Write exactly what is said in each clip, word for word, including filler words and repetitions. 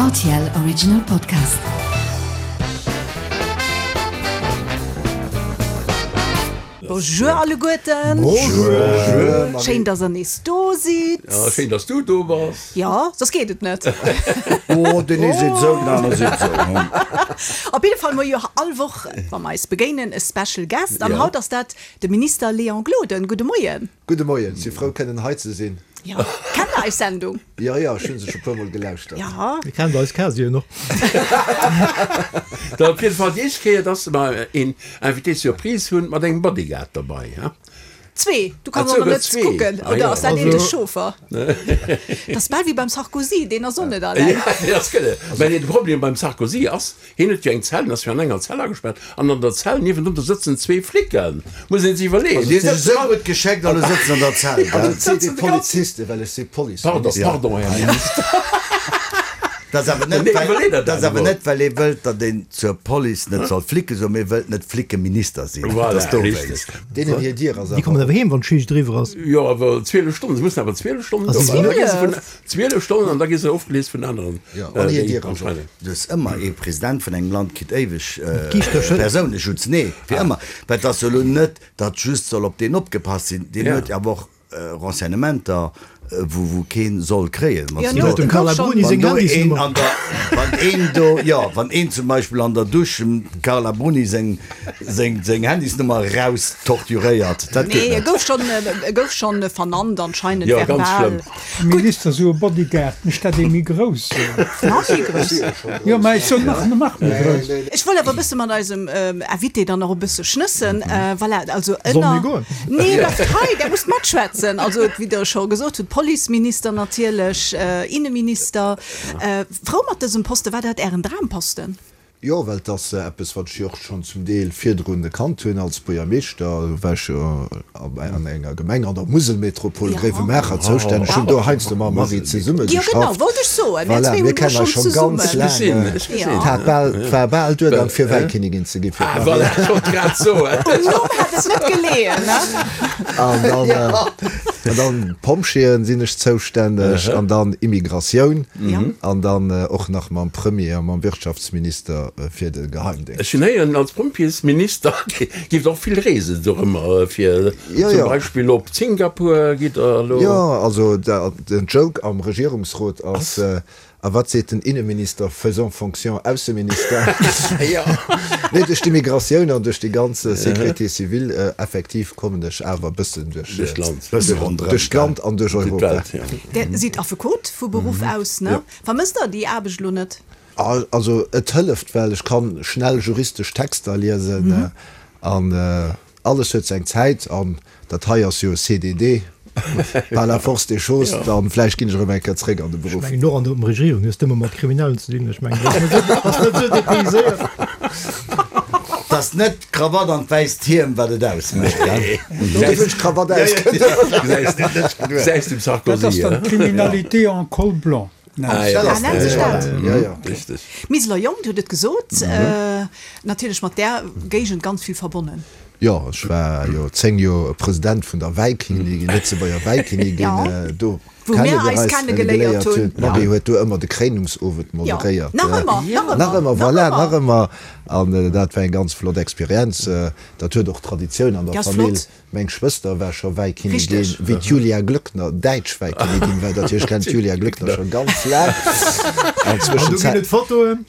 R T L Original Podcast. Bonjour alleguerten. Bonjour. Schéin, dass der nees do sidd. Ja, schéin, dass du do bass. Ja, soss geet et net. Oh, deen ee seet esou, den anere seet esou. Op jidde Fall, mer jo all Woch, wa mer eis begéinen, e Special Guest. An haut ass dat de Minister Léon Gloden. Gudde Moien. Gudde Moien, si frou kënnen hei ze sinn. Jo, kennt der eis Sendung? Jo, jo, ech hu se scho puer mol gelauschtert. Jo. Dir kennt eis Casien och. Da op jidde Fall déi éischt Kéier, dass mer een Invité surprise hunn mat engem Bodyguard derbei, he? Zwee, du Ah, kanns och souguer net zwee. kucken, Ah, oder jo. ass dat een de Also. Chauffer? Dat ass bal wéi beim Sarkozy, deen ass och net alleng. Ja, dat ass gëlle. Mä nee, de Problem beim Sarkozy ass, hien huet jo eng Zell, en ass jo an enger Zell agespaart, an an der Zell niewendrun, do sëtzen zwee Flicken. Muss een sech iwwerleeën. Also, Déi si sëtzen sou all. gutt gescheckt, alle sëtzen an der Zell, Also gell? et seet ee Polizisten, well ech si Pardon, Policeminister. pardon, Här Minister. Dat ass awer net, Nee, well, iwwerlee der dat ass dat awer emol. net, well ee wëllt, datt een zur Police net soll Flicke soen, mee wëllt net Flickeminister sinn. Dat Voilà, ass dowéinst. richtig. Deenen hir Dier ass Déi kommen awer awer heem, wann d'Schicht eriwwer ass. Jo, awer zwielef Stonnen, se mussen awer zwielef Stonnen Also do sinn. Da gi se vun Zwielef? zwielef Stonnen an da gi se ofgeleest vun aneren, Jo, an hir déi Dier ass op. anscheinend. Du hues ëmmer, ee President vun engem Land kritt éiweg Giischtercher. Persouneschutz. Nee, fir ëmmer. Well et ass jo elo net, datt just soll op deen opgepasst sinn. Deen Ja. huet jo awer och Renseignementer, wou wou keen soll kréien. Wann Ja, du no, do, Dem Carla gouf schon- Bruni wann seng do een Handysnummer. an der, wann een do, jo, wann een zum Beispill an der Dusch dem Carla Bruni seng, seng, seng Handysnummer raus torturéiert, dat geet Nee, e net. gouf schon, e gouf schon vernannt anscheinend Ja, ganz verbal. schlëmm. Minister, sou e Bodyguard, mécht dat ee méi grouss? Nach méi grouss. Jo, mä ech soen nach, nach méi grouss. Ech wollt awer e bësse mat eisem Invité dann nach e bësse schnëssen. Voilà, also Solle mir ënner. goen? Nee, bleift hei, der musst matschwätzen. Also, wéi Der scho gesot hutt, Policeminister natierlech, Inneminister. Frou mat dësem Posten? War dat Ären Dramposten? Jo, well et ass eppes, wat ech jo och schonn zum Deel virdrun gekannt hunn als Buergermeeschter. Do war ech jo an enger Gemeng an der Muselmetropol Gréiwemaacher zoustänneg. Ech hunn do heiansdo mam Marie zesumme Jo, genau, geschafft. wollt ech soen. Mir Voilà, zwee mir hunn do kennen eis schonn schonn ganz zesummen. laang. Gesinn, ech gesinn. Et hat bal, et war bal duergang, fir Wäikinnigin ze ginn fir Ah, d'Marie. voilà, ech wollt grad soen. Um Numm hätt et net geleeën, ne? An dann, an dann Pompjeeën sinn ech zoustänneg an dann Immigratioun an dann och nach mam Premier a mam Wirtschaftsminister fir de Geheimdéngscht. Ech hunn héieren, als Pompjeesminister giff der och vill reesen dorëmmer, fir zum Beispill op Singapur gitt der elo. Jo, also den Joke am Regierungsrot ass, A wat seet den Inneminister faisant fonction Ausseminister? Nee, duerch d'Immigratioun an duerch déi ganz Sécurité civile, effektiv kommen ech awer e bëssen duerch duerch d'Land an duerch Europa. Dir sidd Affekot vu Beruff aus, ne? Vermësst Der déi Aarbecht elo net? Also et hëlleft, well ech kann schnell juristesch Texter liesen an alles huet seng Zäit an dat hei ass jo e C D D par la force des choses, dann vläicht ginn ech erëm eng Kéier zréck an de Ech Beruff. mengen och an der Regierung hues de ëmmer mat Kriminellen ze dinn, ech mengen dat ass net esou dépayséiert. 't ass net d'Krawatt an d'wäisst Hiem wat et ausmécht, gell? Dofir hunn ech d'Krawatt ausgedoen. Gesäis dem Dat ass Sarkozy, dann he? d'Criminalité en col blanc. Ah, ja. Ah, nennt sech dat? Ja, ja. Richtig. Miseler Jong, Dir hutt et gesot, natierlech mat där Géigend ganz vill verbonnen. Jo, ech war jo zéng Joer President vun der Wäikinnigin, Lëtzebuerger Wäikinnigin. Do Wou kenne mir wir eis eis kennegeléiert kennegeléiert hunn. hunn. D'Marie huet do ëmmer de Kréinungsowend moderéiert. Nach ëmmer, nach ëmmer. Nach ëmmer, voilà, nach ëmmer. An dat war eng ganz flott Experienz. Dat huet och Traditioun an der Déi ass Famill. flott. Meng Schwëster war scho Wäikinnigin, Richtig. wéi d'Julia Glöckner däitsch Wäikinnigin war. Dat heescht, ech kennen d'Julia Glöckner scho ganz laang. An An do ginn Zwëschenzäit. et Fotoen.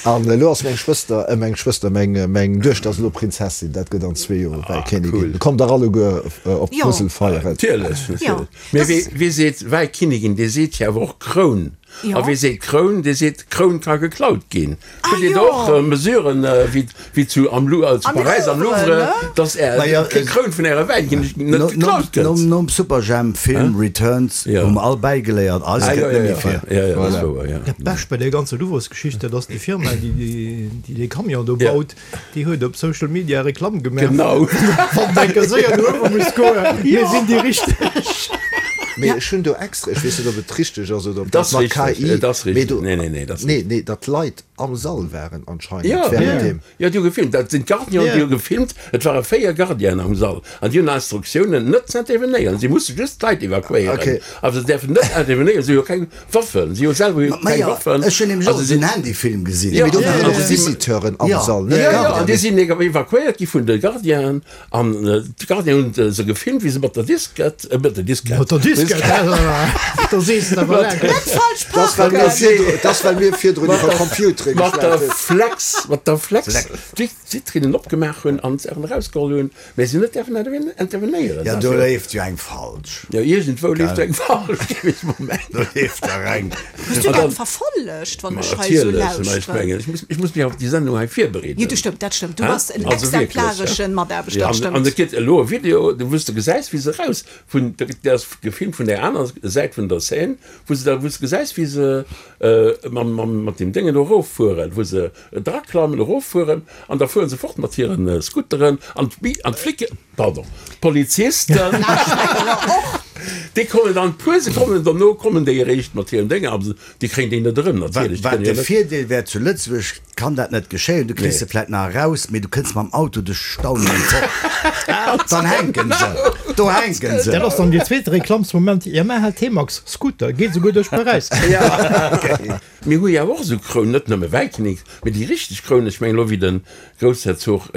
An elo ass meng Schwëster, äh, meng Schwëster, meng, meng Duechter ass elo Prinzessin. Dat gëtt an zwee Joer Wäikinnigin. Cool. Kommt dach alleguer op Jo. d'Musel feieren. Natierlech, Jo. natierlech. Mee Das wee, wee seet Wäikinnigin, dee seet jo awer och Kroun. Jo. A wee seet Kroun, dee seet, Kroun ka geklaut ginn. Ah, Hutt Dir jo. do och Mesuren, wéi, wéi zu, am Lou, zu Am Paräis am Louvre, Louvre, ne? dass Är Naja, Kroun vun Ärer Wäikinnigin net No, geklaut gëtt? nom, nom Superjhemp-Film Returns Jo. hu mer all bäigeléiert, eis Ah, gëtt jo, net jo, méi jo. vir. Jo, jo, dat ass wouer, jo. Dat Bescht bei där ganzer Louvresgeschicht, dat ass déi Firma, déi déi dee Camion do Ja. baut, déi huet op Social Media Reklamm gemaach. Genau. Wann der séier no uewe muss goen, mir sinn déi Richteg. Mee ech hunn do extra, ech weess net, ob et richteg ass oder ob Dat dat mat ass richteg, K I, dat ass mee richteg. do, Nee, nee, nee, dat ass nee, nee, datt d'Leit am Sall waren anscheinend Ja, während dem. ja, déi hu gefilmt. Dat sinn d'Gardienen, déi hu gefilmt. Et ware véier Gardienen am Sall an déi hunn Instruktiounen net ze intervenéieren. Si musse just d'Leit evakuéieren, Okay. awer se däerfen net intervenéieren. Si hu jo keng Waffen, si hu selwer jo Ma keng ja, Waffen. ech hunn nämlech Also och si esou en Handyfilm gesinn. Ja, Mee do ja, waren ja, och ja. Visiteuren am Ja. Sall, net Ja, ja, an Gardienen. déi sinn evakuéiert gi vun de Gardienen an d'Gardienen hunn se gefilmt, wéi se mat der Diskett, äh, mat der Diskett, Mat der Diskett, da sees de awer laang. Net falsch Das well mir parken! virdru, das well mir virdrun iwwer Computere mat der geschwat hunn. Flex, mat der Flex, d'Vitrinnen opgemaach hunn an d'Sachen erausgeholl hunn, mä si hunn net däerfen intervenéieren. Ja, do leeft jo eng falsch. Ja, iergendwou leeft eng falsch, géif ech mol mengen. Do leeft der eng. Hues du dat verfollegt, wann ech hei esou Natierlech, mä ech lauschteren? mengen, ech muss, ech muss mech auf déi Sendung hei virbereeden. Jo, du stëmmt, dat stëmmt. Du Hä? bass en Also wierklech, exemplareschen ja. Mataarbechter, Ja, dat an, an stëmmt. et gëtt elo e Video, wou s de gesäis, wéi se raus vun, der ass gefilmt vun der aner Säit vun der Seine, wou se da, wou s de gesäis, wéi se äh, mam, mam, mat dem Déngen do eroffueren, wou se draklammen, eroffueren, an da fueren se fort mat hiren äh, Scooteren an d'Bi-, an d'Flicke, pardon, d'Polizisten. Déi kommen dann puer Sekonnen dono kommen déi eréischt mat hiren Dénger, awer déi kréien déi net erëm, natierlech. Wat Déi kënnen de jo net. Virdeel wär zu Lëtzebuerg, kann dat net geschéien, du kriss Nee. se vläit nach eraus, mee du kënns mam Auto de Stau net fort. Dann hänken se. Do hänken se. Dat ass dann déi zweete Reklamsmoment, Yamaha T-Max Scooter, geet souguer duerch Paräis. Mir hu jo och esou Krounen, net nëmme Wäikinnek, mee déi richteg Krounen, ech mengen elo wéi de Groussherzog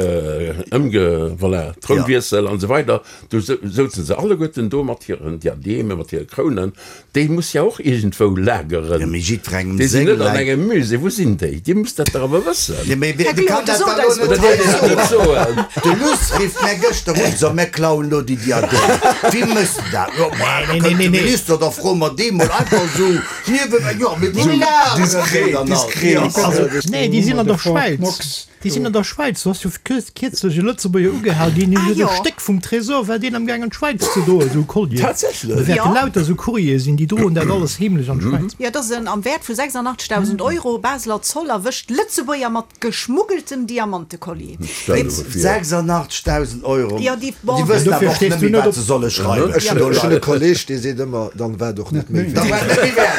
ëmge, voilà, Trounwiessel an esou weider, do souzen se alleguerten do mat hiren Diademe, mat hire Krounen, déi muss jo och iergendwou lageren. Jo, mee jiddwerengem Déi sinn seng net an Leit. engem Musée, wou sinn déi? Dir musst dat dach awer wëssen. Jo, mee Här wie Glod, kann dat sot dann elo eis net mol. hei soen? Net soen. De Luss rifft mär gëschter un, so, mär klauen elo déi Diademe. Wie mécht dat? Jo, ma da Nee, nee, kënnt nee, de nee. Minister, da froe mer dee mol einfach esou niewebäi. Jo, mee wou lageren déi Diskret, dann all? diskret. Ja, also, Nee, déi sinn an der De Fort Schwäiz. Knox. Déi sinn an der Schwäiz. Du hast jo kierzlech e Lëtzebuerger ugehal, deen Ah, huet jo. e Stéck vum Tresor, war deen am Gaang an d'Schwäiz ze droen, esou Collier. Tatsächlech? Da wäerte Ja. lauter esou Courrier sinn, déi droen dat alles heemlech an d'Schwäiz. Jo, dat ass en am Wäert vu sechsundachtzigtausend Euro. Baseler Zoll erwëscht Lëtzebuerger mat geschmuggeltem Diamantekollier. Stell dir vir. sechsundachtzigtausend Euro. Ja, déi- bon. Déi wëssen Dofir awer och stees net du méi, net wat op- se solle schreiwen. Ech hunn ech hunn e Kolleg, dee seet ëmmer, dann war doch net méi Dann wäert. war net méi wäert.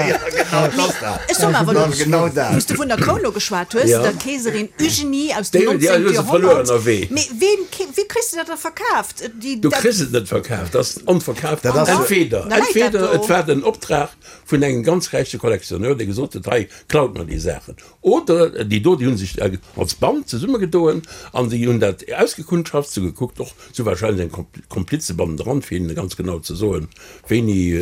Ja, genau, das ass dat. Ech soen awer Dann elo, genau dat. wou s du vun der Kroun lo geschwat hues, Ja. der Keeserin Eugénie aus dem Déi hunn déi neunzehnten hu se verluer Jahrhundert. ënnerwee. Mee ween, wéi kriss du dat da verkaaft? Déi, Du dat, kriss et net verkaaft, dat ass onverkaaft. Dat ass- Entweder, Da läit dat entweder do. et war den Optrag vun engem ganz räiche Kollektionneur, dee gesot huet, hei, klaut mer déi Saachen. Oder déi do, déi hunn sech als Band zesummegedoen an déi hunn dat ausgekundschaft, sou gekuckt, och sou wahrscheinlech eng Komplize bannendran, fir hinnen ganz genau ze soen, wéini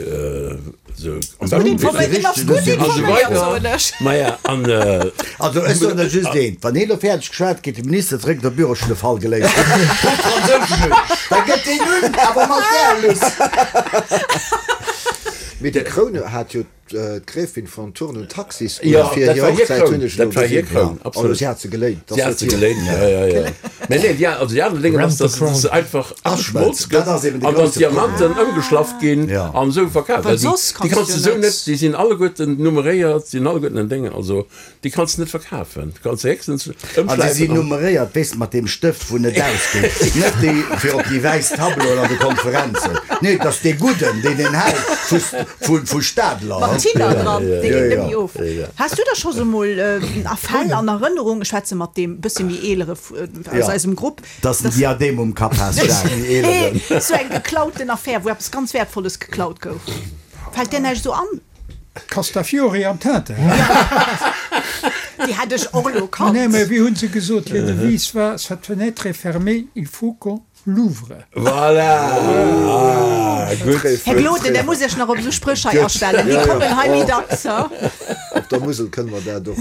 se am Gutt beschten informéiert, wieren. en ass gutt An esou informéiert, weider. soen ech. Maja, an Also ech soen der just eent, wann hien elo fäerdeg geschwat kritt, de Minister zeréck op de Büro, ech hunn de Fall geléist. Op Franséisch un. Da gëtt deen un, awer mat där Luss. Mee déi Kroun hat jo d'Gräfin von Thurn und Taxis un Ja, fir dat hir war hir Hochzäit, Kroun. hunn ech elo Dat war hir gesinn. Kroun, Ja. absolut. Also si hat se geléint. Si hat se geléint, ja, ja, ja. Mä nee, ja, also déi aner Déngen ass, dass Rent the se einfach ageschmolz Dat gëtt ass eben de an dann grouse d'Diamanten ëmgeschlaff ginn Ja. an esou verkaaft. Well Well déi, soss déi kanns kanns du du esou net- net, déi sinn alleguerten nummeréiert, sinn alleguerten en Déngen, also déi kanns du net verkafen. Du kanns se héchstens An se ëmschläifen sinn an- nummeréiert, weess de, mat deem Stëft, wou net ausgeet. Net déi fir op déi wäiss Tableauen an de Konferenzen. Nee, dat ass dee gudden, deen een hält vu, vu, vu Stadler. Mat Tiller dran, dee Ja, geet ja. net méi of. Has du da scho sou mol a Fäll an Erënnerung, ech schwätze mat deem bësse méi eelere aus Ja. eisem Grupp, Dass en Diadem um Kapp has, Jacques. Nee, sou eng geklauten Affär, wou eppes ganz Wäertvolles geklaut gouf. Fält dir näischt sou an? Castafiore am Tintin. Déi hätt ech och elo kannt. Nee, mä wéi hunn se gesot, hir Devise war, Cette fenêtre est fermée, il faut qu'on l'ouvre. Voilà! Ah, gutt. Här Gloden, der muss Iech nach op esou Spréch hei astellen. Déi kommen hei méi dacks, ha? Op der Musel kënne mer dat och.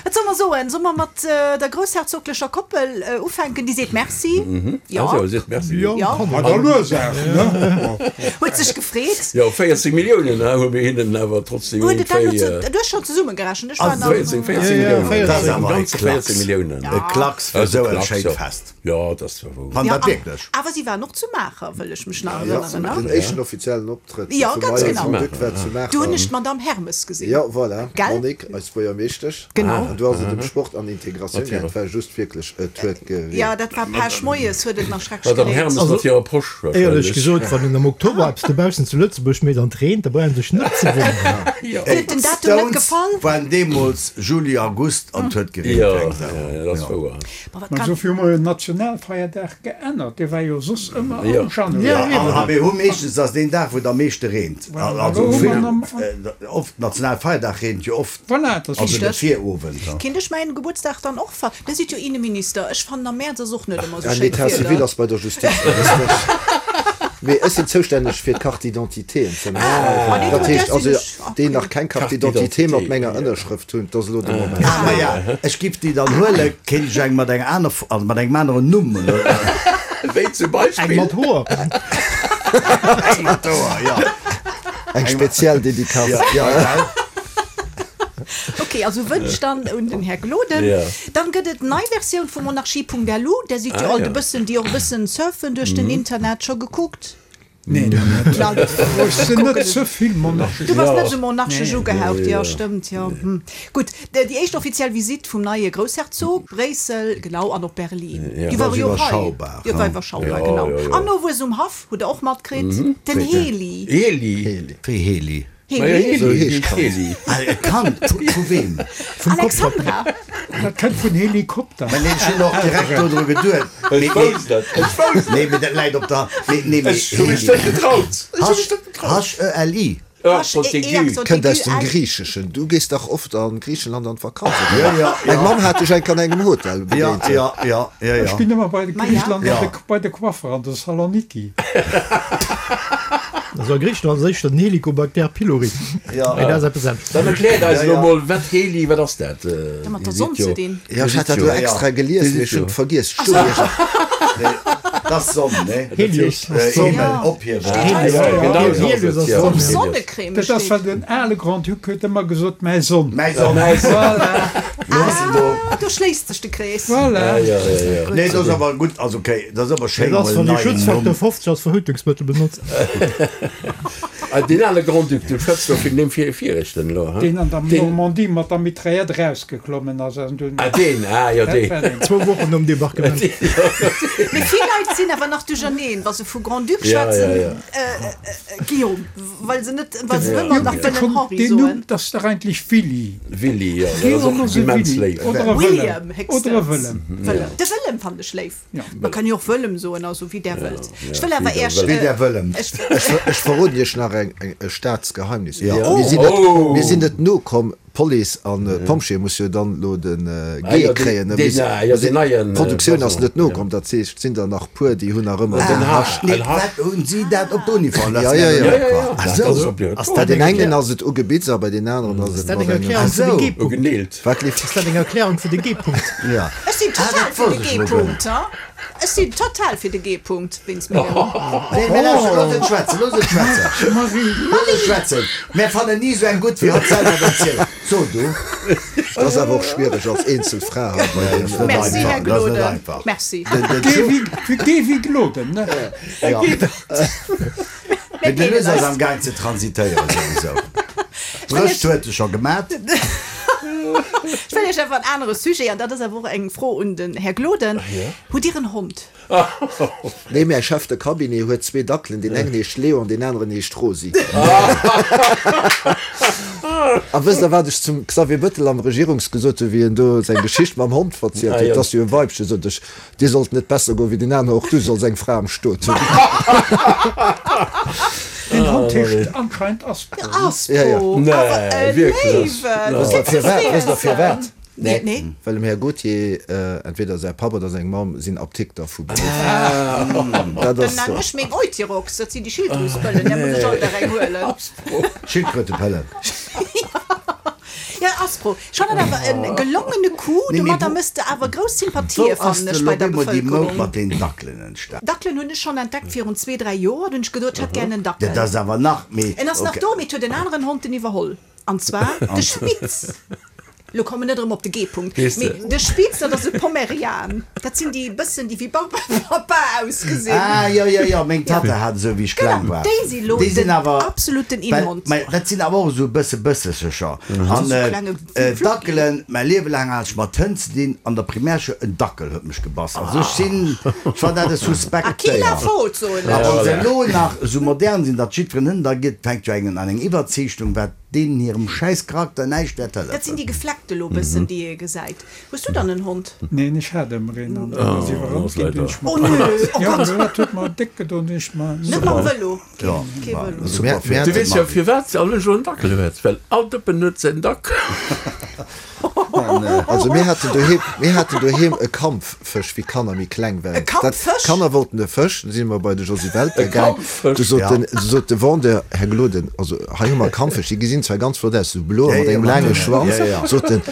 Wat soll mer soen? Soll mer mat der groussherzoglecher Koppel ufänken? Déi seet Merci. Jo. Also, seet Merci. Jo, Ja. kann Hat der Ursaach, ne? Huet sech gefreet. Jo, véierzeg Milliounen, ha, hu mir hinnen awer trotzdem Huet et dat iergendwéi, elo zu, du hues schonn zesummegerechent, ech war Also nach. véierzeg, véierzeg Ja, ja, Milliounen. véierzeg. Dat ass Am awer e Ganze Klacks. véierzeg Milliounen. E Klacks fir Also esou e Klacks, schéint jo. Fest. Jo, dat war wou. Wann Ja, dat wierklech. awer si waren och zu Maacher, wëll ech mech nach Ja, erënneren, ne? den éischten offiziellen Optrëtt Ja, vum ganz neie genau. Grand-Duc war zu Maacher. Do hunn ech d'Madame Hermes gesinn. Ja, voilà. Gell? Monique, eis Buergermeeschtesch. Genau. An du ass et ëm Sport an Integratioun Natierlech. gaangen. Dat war just wierklech et huet ge Ja, dat war Pech moies, huet et nach schrecklech Madame gereent. Hermes Also, mat hirer Posch Éierlech wahrscheinlech. gesot, wann en am Oktober eppes dobaussen zu Lëtzebuerg mécht an et reent, da brauch een sech net ze wonneren. Huet den Datum net gefall? Waren deemools Juli, August an et huet gereent Jo, wéi eng Sau. jo, dat ass wouer. Ma wat Mä kann. sofir hu mer jo den Nationalfeierdag geännert, dee war jo soss ëmmer Jo. am Januar. Ja, a mir hu meeschtens ass deen Dag, wou et am meeschte reent. Voilà, Also elo hu vill, mer am- äh, oft Nationalfeierdag reent jo oft. Voilà, dat ass Also de Richtig. Virowend. Kinnt ech mäin Gebuertsdag dann och ver. Der sidd jo Inneminister, ech fannen am Mäerz ass och net ëmmer sou Ja, schéint L'état civil Wieder. ass bei der Justiz. Mee ech sinn zoustänneg fir d'Carte d'identité ze Ah, maachen. nee, Dat du, heescht där sinn also, ech. Ah, déi nach keng Carte Carte d'identité mat d'identité, menger ja. Ënnerschrëft hunn, dat ass elo de Moment. Ah, ma ja, ech giff déi dann huelen, kéint ech eng mat enger aner, also mat engem aneren Numm. Wéi zum Eng Beispill? mat Hoer. Eng mat Hoer, ja. Eng speziell Dedicace. Ja, ja, gell? Okay, also Wënsch dann un den Här Gloden. Ja. Dann gëtt et nei Versioun vu monarchie.lu, där sidd jo Ah, alt ja. e bëssen, déi och e bëssen surfen duerch den Internet scho gekuckt. Nee, net. Na, Ech sinn net ze vill monarchesch. Du warst Ja. net sou monarchesch Nee. ugehaucht, Nee, ja, ja. stëmmt, ja. Hm. Gutt, déi éischt offiziell Visitt vum neie Groussherzog, Bréissel, genau, an och Berlin. Ja. Déi Dat war ass jo hei. iwwerschaubar, Ja, war ne? iwwerschaubar, Ja, genau. ja, ja. An nowuess um Haff, hutt der och matkritt, den Heli. Heli. Wéi Heli? Ma ja, Heli. Heli, So heescht heescht Kand. Heli. Ah, e Kand, vu, vu wem? Alexandra. Dat kënnt vun Helikopter. Mä nee, ech hunn och direkt do dru geduet. Ech Mee, wousst dat. Ech wousst nee, mee dat läit op der. Nee, nee, mee Ech hu mech net getraut. Ech hu mech net getraut. H-E-L-I. Ja, H E E Accent Kënnt aus aigu dem L. Griicheschen. Du gees dach oft an Griichenland an d'Vakanz. Ja, ja, Meng ja. Mamm hat dech eng an engem Hotel Ja, begéint. ja, ja, ja, Ech ja. ginn ëmmer bei de Ma ja. Griicheland Ja. an de, bei de Coiffer an de Saloniki. Also a Griechenland ass éischter den Helicobacter pylori. Ja. Mee dat ass eppes anescht. Dann erkläert eis Ja, elo ja. mol, wat Heli, wat ass dat? Äh, Ja, mat der Dir Sonn sidd ze jo- dinn. Ja, ech hat dat Dir elo sidd jo- extra gelies, Dir mee sidd ech hunn jo- et vergiess. Ech stoung iech- Nee, dat ass Sonn, ne? Helios Äh, ass d'Sonn. Himmel, Ja. ophiewen. Steet hei Ja, so. genau so ass Helios et, ass ja. Sonn. Helios. Sonnecreme Dat ass steet. wat den ale Grand-Duc huet ëmmer gesot, mäi Sonn. Mäi Sonn. Mäi Sonn. Voilà, Ah, do schléisst sech de Krees. voilà. Ja, ja, ja, ja. Nee, dat ass awer gutt, also okay, dat ass awer schéin, Dat ass mol wann en de neien Schutzfaktor Numm. fofzeg als Verhütungsmëttel benotzt. Ah, den ale Grand-Duc, du schwätzt doch vun dem Vier- Vierechten elo, ha? Deen an der Den- Normandie mat der Mitraillette rausgeklommen ass. An dunn- Ah, den, ah, ja, Dat den. war den. Zwou Wochen nom Debarquement. Mee vill Leit sinn awer nach duercherneen, wa se vu Grand-Duc Ja, schwätzen, ja, ja. Äh, äh, Guillaume, well se net, well se Ja. ëmmer nach Da wëllen kommt Henri den Numm, soen. dat ass dach eigentlich Willi. Willi, ja, dat ass Guillaume och ass e immens Willi. léif. Oder e William, Wëllem. héchstens. Oder e Wëllem. Wëllem. De Wëllem fand ech léif. Ja. Man kann jo och Wëllem soen, also wéi der wëllt. Ech wëll wéi awer der Iech, wëllt. Wéi der Wëllem. ech, Ech, ver- ech verroden Iech nach eng, eng, e Staatsgeheimnis. Ja. Mir sinn net, Oh. mir sinn net nokomm, Police an äh, Pompjeeë muss jo dann lo den äh, Ah, G ja, den- kréien. ne? den, Mir sinn- ah, ja, mir sinn- den neien, äh, D'Produktioun ass Blason, net nokomm, dat heescht, sinn der nach puer, déi hunn nach ëmmer den Den H. H. Nee, Ein H. wat hunn si dat op d'Uniform? Ja, ja, ja. Ja, ja, ja. Ach Dat so. ass op, ja. Ass Bei dat den eng engen ass et ugebitzt, a bei den aneren ass et dat mat eng engem Erklärung Ach fir de so. G-Punkt? Ugeneelt. Wat leeft? Ass dat eng Erklärung fir de G-Punkt? Ja. ech sinn Ah, total dat fir de wosst ech lo G-Punkt, ha? Ech sinn total fir de G-Punkt, wéinst mengem. Nee, mee lauschter, looss et schwätzen, looss et schwätzen. Marie, Looss et schwätzen. Mir fannen ni sou eng gutt, wéi hatt selwer erzielt. So, du. Dat ass awer och schwiereg als Eenzelfra hei bei Ja, deem. das ist net Merci, einfach, Här das ist net Gloden. einfach. Merci. Den, den geh wie, geh wie Gloden, ne? Ja. Mir Mee den deelen Lues ass eis. am Gang ze transitéieren sowieso. Brëscht huet e scho gemat. Ech wëll Iech awer en anere Sujet, an dat ass awer och eng Fro un den Här Gloden. Hutt Dir en Hond? Nee, mäi Chef de Cabinet huet zwee Dackelen, deen engen heescht Leo an deen aneren heescht Rosi. A wësst der, wat ech zum Xavier Bettel am Regierungs gesot hunn, wéi en do seng Geschicht mam Hond verzielt Ah, huet? ja. Dat ass jo e Weibchen, sot ech, dir sollt net besser goen wéi den aneren, och du solls eng Fra am Stot hunn. Den Hond heescht anscheinend Aspro. Aspro. Ja, ja. Nee, Awer e wierklech. Léiwen. Wësst der firwat? Wësst der firwat? Nee, nee. Well dem Här Gauthier, äh, entweder säi Papp oder seng Mamm sinn Apdikter vu Beruff. Dat Dann ass nennen so. ech meng Euthyrox, dat sinn déi Schilddrüspëllen, där muss ech alt nach eng huelen. Schildkrötepëllen. Ja, Aspro. Schon dat awer en gelongene Coup, Nee, mee domadder wo- mësst de awer grouss Sympathie Wo ass fannen de ech bei lo der bemol déi Moud Bevëlkerung. mat den Dackelen entstanden? Dackelen hunn ech schon entdeckt virun zwee, dräi Joer, hunn ech geduet, ech hätt gern en Dackel. Dat ass awer nach méi. En ass nach okay. do, mee et huet en aneren Hond den iwwerholl. An zwar de Spitz. Lo kommen net erëm op de G-Punkt. Weess de. Mee de Spitz, dat ass e Pomerian. Dat sinn déi bëssen, déi wéi Barbe Papa ausgesinn. Ah, ja, ja, ja, meng Tatta hat esou, wéi ech Genau, kleng war. déi si lo Déi sinn den awer absoluten Well, Inhond. mei, dat sinn awer och esou bësse bëssecher. An So äh, klenge äh, Flocki. Dackelen, mäi Liewe laang hat ech mat Hënn ze dinn, an der Primärschoul en Dackel huet mech gebass. Also ech sinn, ech war dat e suspekt A qui la Déier. faute, soen A ech. wann se elo nach esou modern sinn, datt jiddwereen Hënn da gëtt, fänkt jo engen an eng Iwwerzeechtung, wat deenen hirem schäiss Charakter näischt wäert Dat sinn hëllefen. déi gefleckte lo bëssen, déi ee gesäit. Hues du dann en Hond? Neen, ech hat ëmmer een an dann ass Oh, iwwerrannt ass ginn, leider. dunn ech Oh mer. nö, oh Jo, Gott! dat huet mer déck gedoen, dunn ech mer. Net mam Vëlo. Ja, Kee war Vëlo. Also super mir, fir mir Du de weess jo Marvin. firwat se alle jo en Dackel huet, well all Dëppen huet säin Dackel. Also mir haten doheem, mir haten doheem e Kampffësch, wéi d'Kanner méi kleng waren. E Kampffësch? Dat, d'Kanner wollten e Fësch, du si mer bei de Josy Welter E gaang. Kampffësch? Du sot Ja. den, du sot de Vendeur, Här Gloden, also hei hu mer Kampffësch, déi gesinn zwar ganz flott aus, sou blo Ja, mat ja, engem mat laange den, Schwanz, ja, ja. sot en,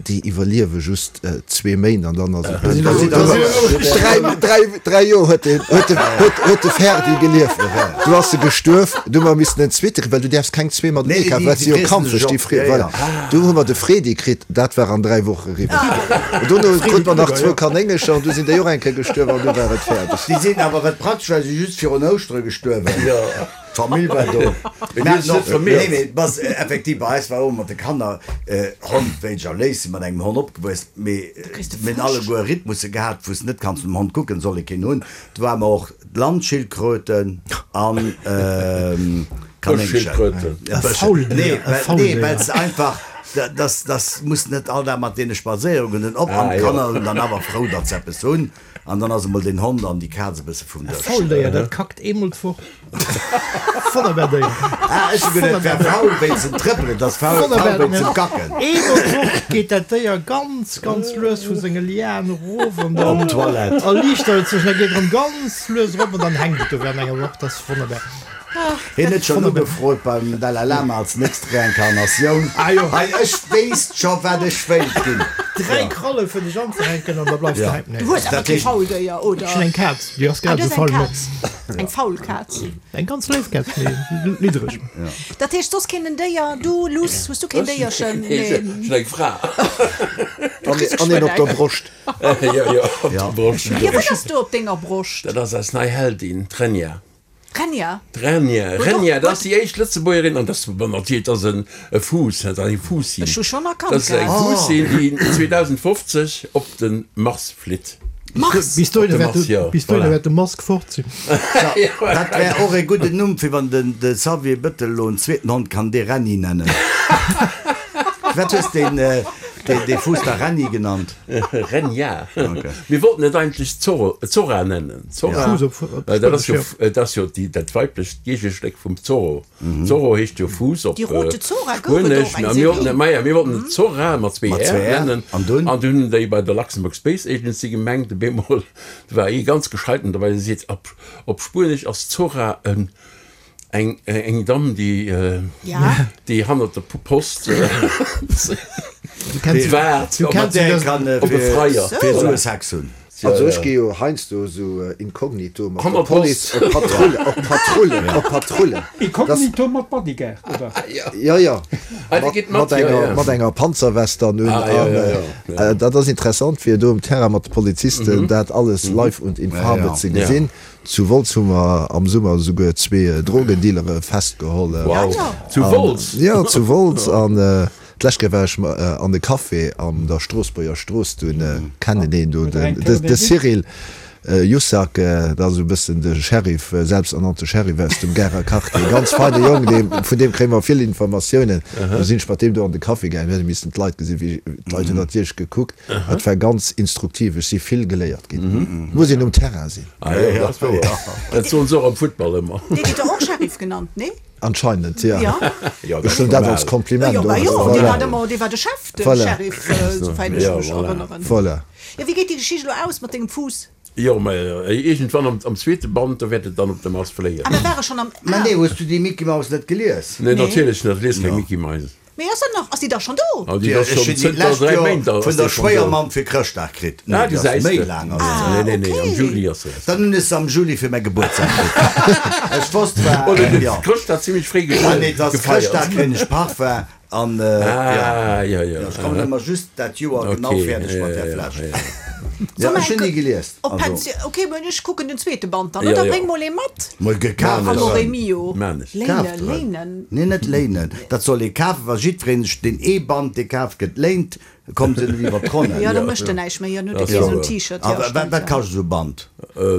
déi iwwerliewe just zwee Méint an dann ass et Da sinn Dräi, dräi, dräi Joer huet den, huet de, huet, huet de Ferdi gelieft. Du ass e gestuerf, du hu mer missen en zweete kritt, well du däerfs keng zwee matenee Nee, kafen, déi, well et déi si jo friessen sech Kampffësch, déi op. frie, Ja, voilà. ja. Du hu mer de Fredi kritt, dat war an dräi Woche eriwwer. An dono krut mer nach zwou Kanéngercher an du sinn déi och eng Kéier gestuerf an du war et fäerdeg. Déi sinn awer, wat praktesch war, si just virun Ouschtere gestuerwen. D'Famill war do. Mee Mir déi haten huet sech net och, nee, vermehrt. mee bass, effektiv, bei eis war och mat de Kanner, Hond wéinst ech léif, si mat engem Hond opgewuess, mee kriss de mir hunn Frosch. alleguer Rhythmusse gehat, wou s net kanns nom Hond kucken, soll ee keen hunn. Do ware mer och Landschildkröten an Kanéngchen. Bëschschildkröten. Ja, E Bësch, Fauldéier, nee, e well, nee, Fauldéier. well se einfach, da, das, das muss net all Dag mat deene spadséiere goen, den op an Ah, jo. d'Kanner hunn dann awer frou, datt se eppes hunn. An dann ass emol den Hond an déi Kaz e bësse vum E Dësch. Fauldéier, dat kackt eemol d'Woch. Wonnerbar Déier. Ah, ech hu geduet, et wär faul wéinst dem Trëppelen, et ass faul, faul Wonnerbar, wéinst dem Kacken. Eemol d'Woch geet dat Déier ganz, ganz lues vu senge Lianen erof an dann Op d'Toilette. erliichtert et sech, da geet et erëm ganz lues erop an dann hänkt et do während enger Woch. Dat ass wonnerbar. Hien huet schonn ugefrot beim Dalai Lama als nächst Reinkarnatioun. Ah jo. Hei, ech wéisst scho wat ech wéilt ginn. Dräi Kralle fir dech anzehänken an da bleifs de Ja. hänken. Du hues awer Dat kee heescht- Fauldéier, oder? Ech hunn eng Kaz, déi ass Ah, grad du esou hues eng faul. Kaz. Eng faul Kaz. Eng ganz léif Kaz, mee liddereg. Dat heescht, soss keen Déier? Du, Luss, hues du keen Déierchen? Nee, Nee. ech hunn eng Fra. An, an een op der Broscht. Jo, jo, op der Broscht. Jo, wat ass do op denger Broscht? Dat ass eis nei Heldin, d'Renja. Renja? D'Renja, Huet Renja, och- dat ass déi éischt Lëtzebuergerin, an dat ass natierlech, dat ass en e Fuuss, dat ass eng Fuussin. Ech hu schonn erkannt Dat ass eng gehat. Fuussin, déi zweedausendfofzeg op de Mars flitt. Mars? Bis dohinner Op de wäert Mars, de, jo, bis dohinner voilà. wäert de Musk fort sinn. Dat wär och e gudden Numm fir wann den de Xavier Bëttel elo en zweeten Hond kann dee Renni nennen. Wat hues deen dee dee Fuuss da Renni genannt? Renja. Okay. Mir wollten et eigentlech Zorro, Zora nennen. Zora, Fuuss op, op well dat ass jo, Spuenesch, jo. dat ass jo déi, dat weiblecht Géigestéck vum Zorro. Zorro heescht jo Fuuss op Die rote Zora gouf et Spuenesch. och eng A mir wollten Serie. et, maja, mir wollten et Zora mat zwee Mat R zwee R. nennen. An dunn? An dunn hunn déi bei der Luxembourg Space Agency gemengt, op eemol, do war ee ganz gescheiten dobäi, dee seet, op, op Spuenesch ass Zora en, eng, eng Damm, déi, Ja. déi hannert der Post Du kenns, waart du op kenns Mat där das, kann op e fir, Freier. fir Voilà. esou e Sex hunn. Also ech gi jo heiansdo esou inkognito mat der Hannert Police Post. op Patrulle, op Patrulle, op Patrulle. Inkognito mat Bodyguard, oder? Ja, ja. Ah, déi Mat, geet mat mat, ja, enger, ja. mat enger Panzerwest dann un. Ah, ja, An, ja, äh, ja. äh, dat ass interessant fir do um Terrain mat de Polizisten dat alles live und in Ja, Farbe ja. ze gesinn. Zu Wolz hu mer am Summer esouguer zwee Drogendealere festgeholl. Wow. Ja, Zu Wolz? Ja, zu Wolz. An äh, d'lescht Kéier war ech ma, äh, an de Café an der Stroossbuerger Strooss, do äh, kennen een do Huet den, eng de, Kéier de den Cyril äh, Jussac, äh, dat ass esou e bëssen de Sheriff, äh, selbsternannte Sheriff aus dem Garer Quartier. Ganz feine Jong, deem, vun deem kréie mer vill Informatiounen. Do sinn ech mat deem do an de Café gaangen, mir hätte missen d'Leit gesinn, wéi d'Leit hunn natierlech gekuckt. Dat war ganz instruktiv, ech si vill geléiert ginn. Muss een um Terrain sinn. Ah, ja, dat ass wouer. Dat soen se och am Futtball ëmmer. Dee gëtt jo och Sheriff genannt, nee? Anscheinend, ja. Ja. Ja, Ech hunn dat als Kompliment. Jo, och, bah jo, also, dee voilà. war ëmmer, dee war de Chef, de Voilà. Sheriff, äh, souwäit ech Ja, mech voilà. erënneren. Voilà. Ja, wéi geet déi Geschicht elo aus mat dengem Fuuss? Jo, mä iergendwann am, am zweete Band, do wäert et dann op de Mars fléien. Ah, mir ware schonn am. Mä nee, hues du déi Mickey Mouse net gelies? Nee, Nee. natierlech net, ech lies keng Mickey Mouse. Mee ass dat nach, ass déi da schonn do? Ah, déi ass Ech schonn hunn déi zënter d'lescht dräi Joer Méint ass vun déi der schonn do. Schwéiermamm fir Chrëschtdag kritt. Nee, Ah, déi ass gesäis méi de. laang ass Ah, Nee, nee, nee, am okay. Juli ass se. Dann hunn ech se am Juli fir mäi Gebuertsdag kritt. Ech wosst zwar, Oder de ja. Chrëschtdag zimmlech fréi Ah, nee, dat ass gefeiert. Chrëschtdag kréien ech Parfum an, äh, ja. Ah, ja, ja. Ech kommen ëmmer just dat Joer genau Okay, fäerdeg ja, mat där ja, Fläsch. ja, ja. Ja, Soll ech mer hunn eng déi gelies. Op Also, Pension. Okay, mä ech kucken den zweete Band dann. Ja, Oder ja. bréng mol ee mat. Mol gekaaft Amore erëm. mio. Maan ech. Léinen, Kaaft erëm. léinen. Nee, net léinen. Dat soll ee kafen, wa jiddwereen sech deen ee Band, dee kaaft gëtt, léint, kommen se net iwwer d'Ronnen. Jo, da mécht en näischt méi, jo, dann huet e kee sou en T-Shirt, jo, Wat, stemmt, wat jo. kascht esou e Band?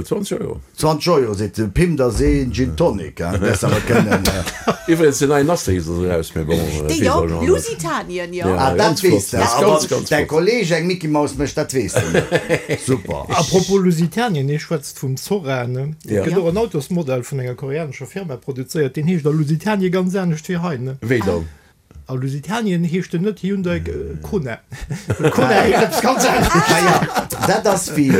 Zwanzeg Euro. Zwanzeg Euro, seet de Pim, da see en Gin Tonic, hein, däers awer kënnen. Iwwregens, den neien Asterix ass eraus, mee bon, dat Dee weess jo, all Jean net. Lusitanien, jo. Ja, Ah, dat ganz weess flott, de, dat ass a ganz, wann ganz däi flott. Kolleg eng Mickey Maus mécht, dat weess de net. Super. Apropos Lusitanien, hie schwätzt vum Zora, ne? Et Ja. gëtt och en Autosmodell vun enger koreanescher Firma produzéiert, deen heescht a Lusitanien ganz anescht wéi hei, ne? Wéi dann? A Lusitanien heescht en net Hyundai Kona. Kona heescht eppes ganz anescht. Naja, dat ass wéi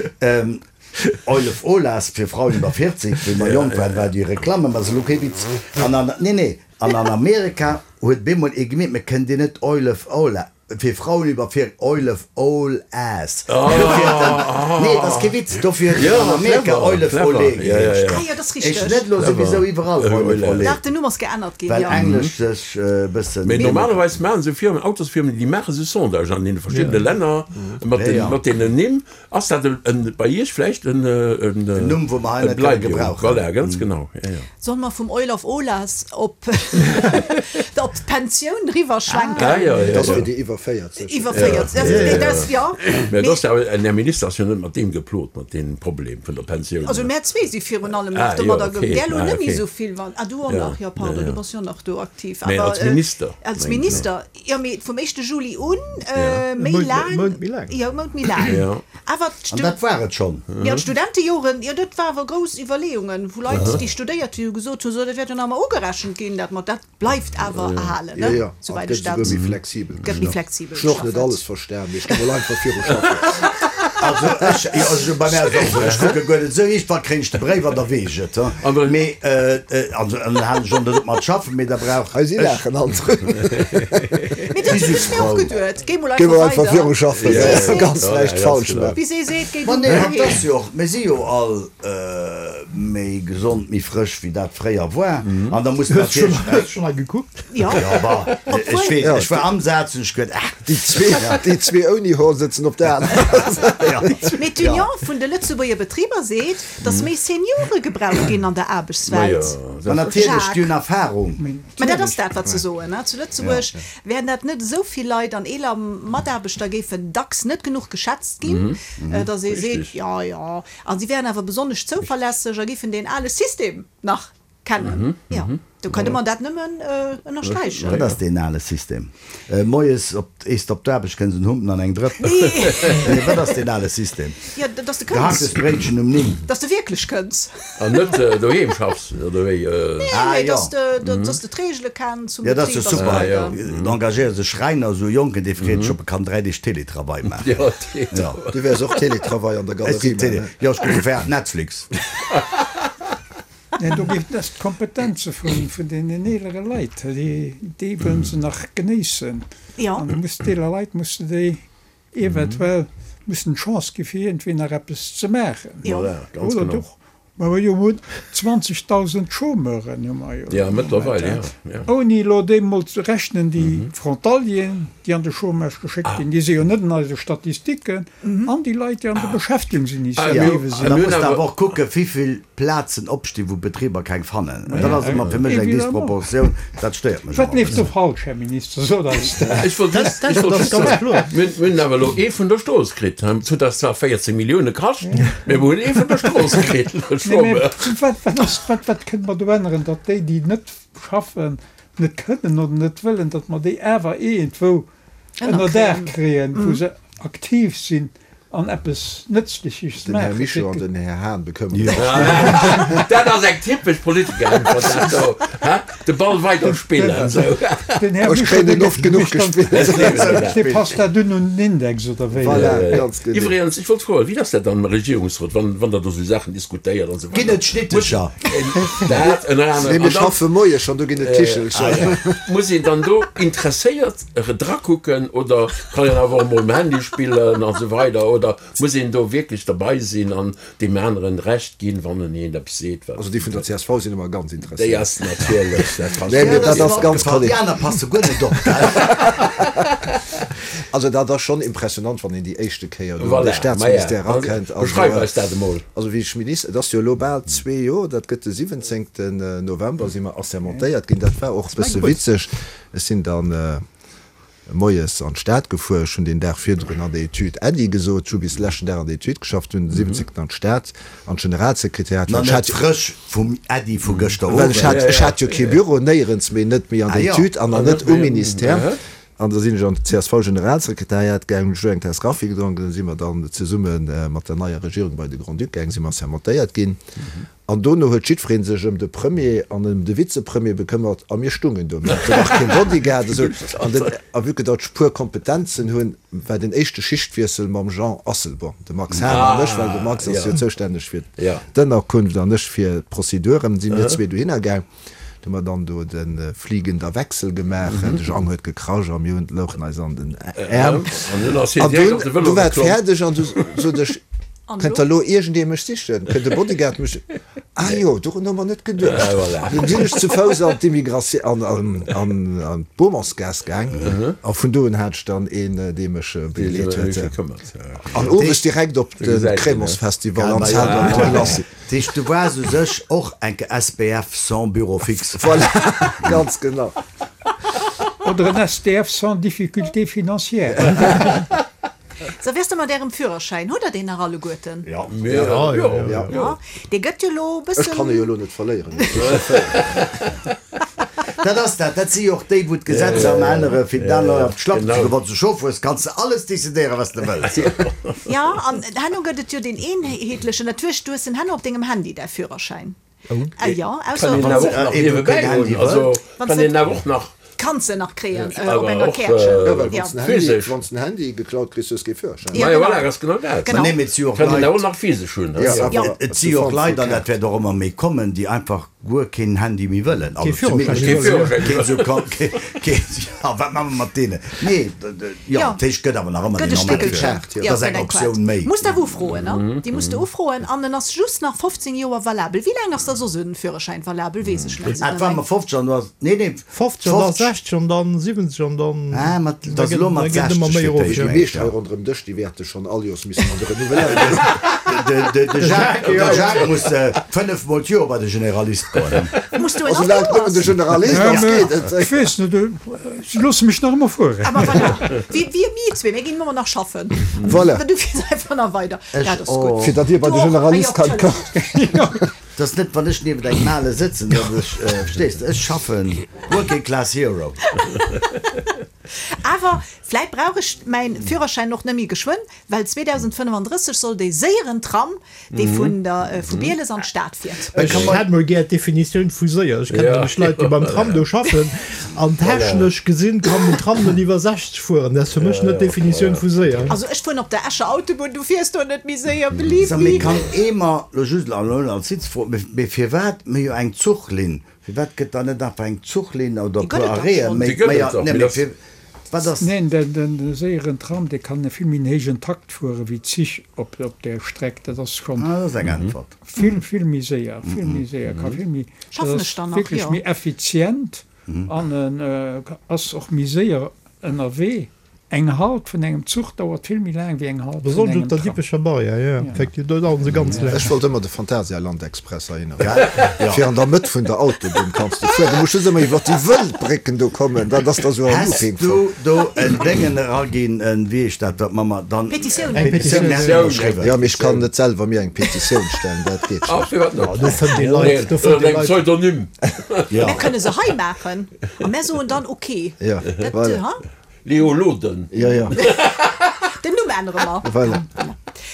Eulef Olas fir Frauen iwwer vierzeg, wéi mer jonk waren, war déi Reklamm ëmmer esou, lo kee Witz. An an, nee, nee, an an Amerika huet bemol ee gemeet, mir kënnen déi net Eulef Ola, fir Frauen iwwer vier, Eulef Ol Ass. Dofir huet en, nee, dat ass kee Witz, dofir huet en an Amerika Eulef Olé geheescht. Ah jo, dat ass Ech richteg. net lo souwisou iwwerall Eulef Olé. Dach, den Numm ass geännert ginn, Well jo. Englesch sech e bëssen. Mee normalerweis maachen esou Firmen, Autosfirmen, déi maache sou Sondagen an deene verschiddene Länner mat den, mat deenen Nimm. Ass dat en, bei Iech vläicht en, en, En Numm, wou mer hei e net kënne Bleiwung? gebrauchen. Voilà, ganz genau, ja, ja. Solle mer vum Oil of Olas op op d'Pensioun riwwerschwenken? Ah, ja, ja, Dat ass ja. fir déi iwwer véierzeg. Iwwer véierzeg, ja, ja, dat, ja. Mä dat ass awer, en Här Minister ass jo net mat deem geplot, mat deem Problem vun der Pensioun. Also mär zwee si virun allem nach Ah, jo, domadder okay. ge-, där lo Ah, net méi okay. esou vill, wann, ah, du och Ja, nach, jo, pardon, ja, ja. du bass jo nach do aktiv. Mä Awer, als Minister, als meng ech, Minister, jo, mee vum éischte Juli un, Ja. méi E Mount, laang, e Mount méi laang. Jo, e Mount méi laang. Ja. Awer An d'Stu-, dat war et schonn. jo, d'Studentejoren, jo, dat war awer grouss Iwwerleeungen, wou Leit, déi studéiert hunn, gesot hunn, so, dat wäert jo nach emol ugerechent ginn, dat mat, dat bleift awer erhalen, Ja, ne? ja. An Souwäit gëtt ech dat. esouguer méi flexibel Gëtt méi geschafft. flexibel Ech hunn och net geschafft. alles verstan, mee ech gi mol einfach viru schaffen. Also ech, jo, also bei mär ass och esou, ech kucke guer net esou, iergendwann kréien ech de Bréif an da weess ech et, An Mee, also an dann halen ech och net op mat schaffen, mee da brauch Hei si ech. laachen all drun. Mee dat hunn ech mir och geduet. Géi mol Géi mol einfach einfach weider. viru schaffen, Wéi ja, se seet. ganz Ja, näischt ja, ganz falsch genau. maachen. Wéi se seet, géi Ma du nee, dohin. dat ass jo och, mir si jo all méi gesond, méi frësch wéi dat fréier war. An da muss Hues du natierlech. schonn, hues du schonn mal gekuckt? Jo. Ja, bah, ech Obwuel. weess, ech war am Saz und ech geduet, ach, Déi zwee, déi zwee ouni Hoer sëtzen op der anerer Säit. ja. Mee d'Union vun de Lëtzebuerger Betriber seet, datt méi Seniore gebraucht ginn an der Ma jo, Aarbechtswelt. Ma natierlech, déi hunn Erfahrung. Mä dat ass dat, wat se soen, ne? Zu Lëtzebuerg wären dat net esou vill Leit an eeler Mataarbechter géifen dacks net genuch geschätzt ginn, datt ee seet, Richtig. jo, jo. A si wären awer besonnesch zouverlässeg a géifen deen ale System nach kennen. Jo, do kënne mer dat nëmmen ënnersträichen. Wat ass deen ale System? Moies op, éisst op d'Aarbecht kënns en Humpen an eng Drëpp. Nee, wat ass deen ale System? Jo, dass de kënns. Gehacktes Bréitchen um néng. Dass de wierklech kënns. An net doheem schaffs, oder wéi? Nee, Ah, mee jo. dass de, dass de d'Reegele kenns zum Ja, dat ass jo Betrib a sou super. Ah, jo. weider. Da engagéiere sech Schräiner, esou Jonken, dee freet sech, ob e kann dräi Deeg Télétravail maachen. Ja, Télétravail. Du wäers och Télétravail an der Ech sinn Galerie Télé. maachen, ne? Jo, ech kucke während Netflix. Nee, do géif das d'Kompetenze vun, vun den eelere Leit, déi, déi wëllen se nach genéissen. Ja. An du muss d'eeler Leit musse déi eventuell mussen d'Chance gi fir iergendwéi nach eppes ze maachen. Jo. Voilà, ganz Oder genau. doch, ma mer jo hunn zwanzegdausend Chômeuren hu mer jo Ja, am Moment, mëttlerweil, hein. ja, ja. Ouni elo deemol ze rechnen déi Frontalieren, déi an de Chômage geschéckt ginn, déi si jo net an eise Statistiken, an déi Leit, déi an der Beschäftigungsinitiative Ah, sinn. Da mir muss hunn de awer awer och kucken, wéivill Plazen opstinn, wou Betriber keng fannen. Dat ass ëmmer fir mech eng Évidemment. Disproportioun, dat stéiert mech Wat ëmmer e leeft do bëssen. falsch, Här Minister? Sot eis dat. Ech wollt just, Dat ech wollt ass just ganz soen, kloer. mir mir hunn awer elo ee vun der Strooss kritt. Et huet eis zwar véierzéng Millioune kascht, mee mir hunn ee vun der Strooss kritt. Nee, mee wat, wat ass, wat, wat kënne mer do änneren, datt déi, déi net schaffen, net kënnen oder net wëllen, datt mer déi awer iergendwou ënner Daach kréien, wou se aktiv sinn an eppes Nëtzleches Den Här maachen. Mischo an den Här Hahn bekëmmere sech. Dat ass eng typesch Politikeräntwert, dat do. Hä? De Ball weiderspillen, sou. Den Här Ech Mischo, kréien dee en oft genuch mécht dann- gespillt. Dee passt dat dunn un den Index, oder wéi? Voilà, ganz genau. Iwwregens, ech wollt froen, wéi ass dat dann am Regierungsrot, wann, wann der do sou Saachen diskutéiert an sou Ginn weider? et Schnittecher? Dat ënner Nee, anerem. mir An dann schaffe moies schonn, do ginn et Kichelcher. muss een dann do interesséiert drakucken oder kann een awer och mol um Handy spillen an sou weider oder muss een do wierklech derbei sinn an deem aneren Recht ginn, wann en een eppes seet, wat Also déi vun der C S V sinn ëmmer ganz Déi interesséiert. ass natierlech, dat Nee, versteet mee dat een. ass ganz Déi korrekt. aner passe guer net op, gell? Also dat ass schonn impressionant, wann een déi éischte Kéier do an Voilà, de Staatsministère ma ja, erakënnt. Also, beschreif eis dat emol. Also wéi ech Minister, et ass jo elo bal zwee Joer, dat gëtt de siwwenzéngten November, si mer assermentéiert ginn. Dat war och e bësse witzeg. Ech sinn dann, moies an d'Stad gefuer. Ech hunn deen Dag virdrun an der Etüd Äddi gesot. Ech hu bis leschten Dag an der Etüd geschafft, dunn den siwwenzéngten an d'Stad, an d'Generalsekretariat, well ech net hat, frësch vum Äddi vu gëschter well ech Owend. hat, ech hat jo kee Büro, néierens méi, net méi an Ah der jo. Etüd an an net um Ministère. An da sinn ech an d'CSV-Generalsekretariat gaangen, hunn ech do eng Taass Kaffi gedronk, an da si mer dann zesumme mat der neier Regierung bei de Grand-Duc gaangen, si mer sermentéiert ginn. An dono huet jiddweree sech ëm de Premier an ëm de Vizepremier bekëmmert a mir stungen do. Mir haten nach kee Bodyguard esou. An den, a vue que datt ech puer Kompetenzen hunn, war den éischte Schichtwiessel mam Jean Asselborn, de Max Hahn an ech, well de Max ass jo zoustänneg fir d'Ënnerkunft an ech fir d'Prozeduren, si mir zwee dohinner gaang. Du hu mer dann do de fliegender Wechsel gemaach, de Jang huet gekrasch a mir hunn, louchen eis an den Äerm. An dunn, du war et fäerdeg an du sot ech, Kënnt da lo iergendee mech sichen? Kënnt de Bodyguard mech. Ah jo, dorun hu mer net geduecht. Dunn sinn ech zu Fouss an d'Immigratioun, an, an, an d'Bourmansgaass gaang a vun do un hat ech dann een, dee mech begleet huet. An owes direkt op de Crémants-Festival an d'Salle de Glacis. Dat heescht, du waars u sech och enke S B F sans bureau fixe. Voilà, ganz genau. Oder en S D F sans difficulté financière. Sou, wéi ass et mat ärem Führerschäin? Hutt der deen nach alleguerten? Jo. Jo, jo. Jo, dee gëtt jo lo e Ech kann e bëssen. jo elo net verléieren, ech si Chauffeur. Dat ass dat. Dat si jo och déi, wou d'Gesetzer ëmmer ännere fir den anere op d'Schlapp ze goen. Wann s de Chauffer hues, kanns de alles decidéieren, wat s de wëlls. Jo, an herno gëtt et jo deen eenheetlechen, dat hues, du hues en herno op dengem Handy, däi Führerschäin. Ah jo, Kann ausser een wann awer s och de. nach Ee wou keen niewebäi Handy hunn. wëll. Also Wann s kann de een awer och nach. Kanns de nach kréien op Awer enger och Käerchen. Jo, well Jo. wann s den Handy, physesch. wann s den Handy geklaut kriss, hues kee Führerschäin. Ja, Majo, genau. voilà, ganz genau dat. Genau. Ma nee, mee et si jo och Kann een awer Leit, och nach physesch hunn, Ja, ne? awer Jo. et ass si de jo och Form vu Leit, an dat Kaart. wäert och ëmmer méi kommen, déi einfach guer keen Handy méi wëllen. Kee Also Führerschäin zumindest méi Kee wëllen, jo. Führerschäin keen méi esou wëllen. kann, kee, kee, ja, wat maache mer mat deenen? Nee, jo, Jo. dat heescht, gëtt awer nach ëmmer Gëtt deen e normale Stéckelchen. Führerschäin. Kaart, jo. Jo, Dat ass gëtt eng eng Kaart. Optioun méi. Muss de awer ufroen, ne? Déi muss de ufroen an en ass just nach fofzéng Joer valabel. Wéi laang ass da soss en Führerschäin valabel? Weess ech net. Ah, et war mer fofzeg an du has, nee, nee, fofzeg an dann fofzeg. sechzeg an dann siwwenzeg an dann Ah, mat, da dat ass gëtt elo da mat gëtt ëmmer sechzeg méi fir erof, d'éischt, jo. Déi mengen ech, meescht hei ja. ronderëm Dësch, déi wäerte schonn all Joers missen an de renouveléiere ginn. De, de, de Jacques, de Jacques muss fënnef mol d'Joer bei de Generalist goen. Muss du en Also all laang nëmmen de Joers? Generalist Ja, ass, mä geet et. ech weess net, se loosse mech nach ëmmer fueren. Ah, ma voilà. Wéi, wéi mir zwee, mir ginn ëmmer nach schaffen. Voilà. Du fiers einfach nach weider. Ech Dat ass och. gutt. Fir datt dir bei Du de och? Ah jo, Generalist kann natürlich. 't ass net, wann ech niewent engem Ale sëtzen, datt ech, verstees de, ech schaffen, working class hero. Awer vläit brauch ech mäin Führerschäin och net méi geschwënn, well zweedausendfënnefandrësseg soll dee séieren Tram, dee vun der, vu Bieles an d'Stad fiert. Ech hätt mol gär d'Definitioun vu séier. Ech kennen nämlech Leit, déi beim Tram do schaffen an technesch gesinn kann den Tram net iwwer sechzeg fueren. Dat ass fir mech net d'Definitioun vu séier. Also ech fueren op der Escher Autobunn, du fiers do net méi séier, believe Sag, mee me. kann ee mer lo just elo als Sitzfro, mee firwat mir jo eng Zuchlinn, firwat gëtt da net einfach eng Zuchlinn oder Déi e puer gëtt et dach Arrêten schonn. méi, Déi gëtt méi, et dach, nee, mee mee dat. fir, wat ass. Neen, den, den séieren Tram, dee kann e vill méi en héijen Takt fuere wéi d'Zich op, op där Streck. Dat ass schonn Ah, dat ass eng Äntwert. vill, vill méi séier, vill méi séier, ka vill méi, dat Schaffen ass ech dann nach, wierklech jo. méi effizient an en ass och méi séier ënnerwee. Eng Halt vun engem Zuch dauert vill méi laang wéi eng Halt vun Besonnesch engem op der Tram. Dippecher Barrière, jo, effektiv, do daueren se ganz laang. Ech wollt ëmmer de Phantasialand Express heihinner fueren. Fir an der Mëtt vun der Autobunn kanns de fueren. Du muss just ëmmer iwwer déi wëll Brécken do kommen, dat ass da sou en Häss Looping du voll. do en Déngen eraginn, en, wéi heescht dat, wat man mer dann? Petitioun. Eng Petitioun, Petitioun. mir hätten ënnerschriwwen. Jo, mee ech kann net selwer mir eng Petitioun stellen, dat geet Ah, schlecht. firwat net? Do fënnt ee Leit, do Ënner fënnt ee engem Leit. Pseudonym. Ja. Mär kënne se hei maachen a mär soen dann ok. Ja, Dat, voilà. ha? Leo Loden. Ja, ja. Den Numm ännere mer. Voilà.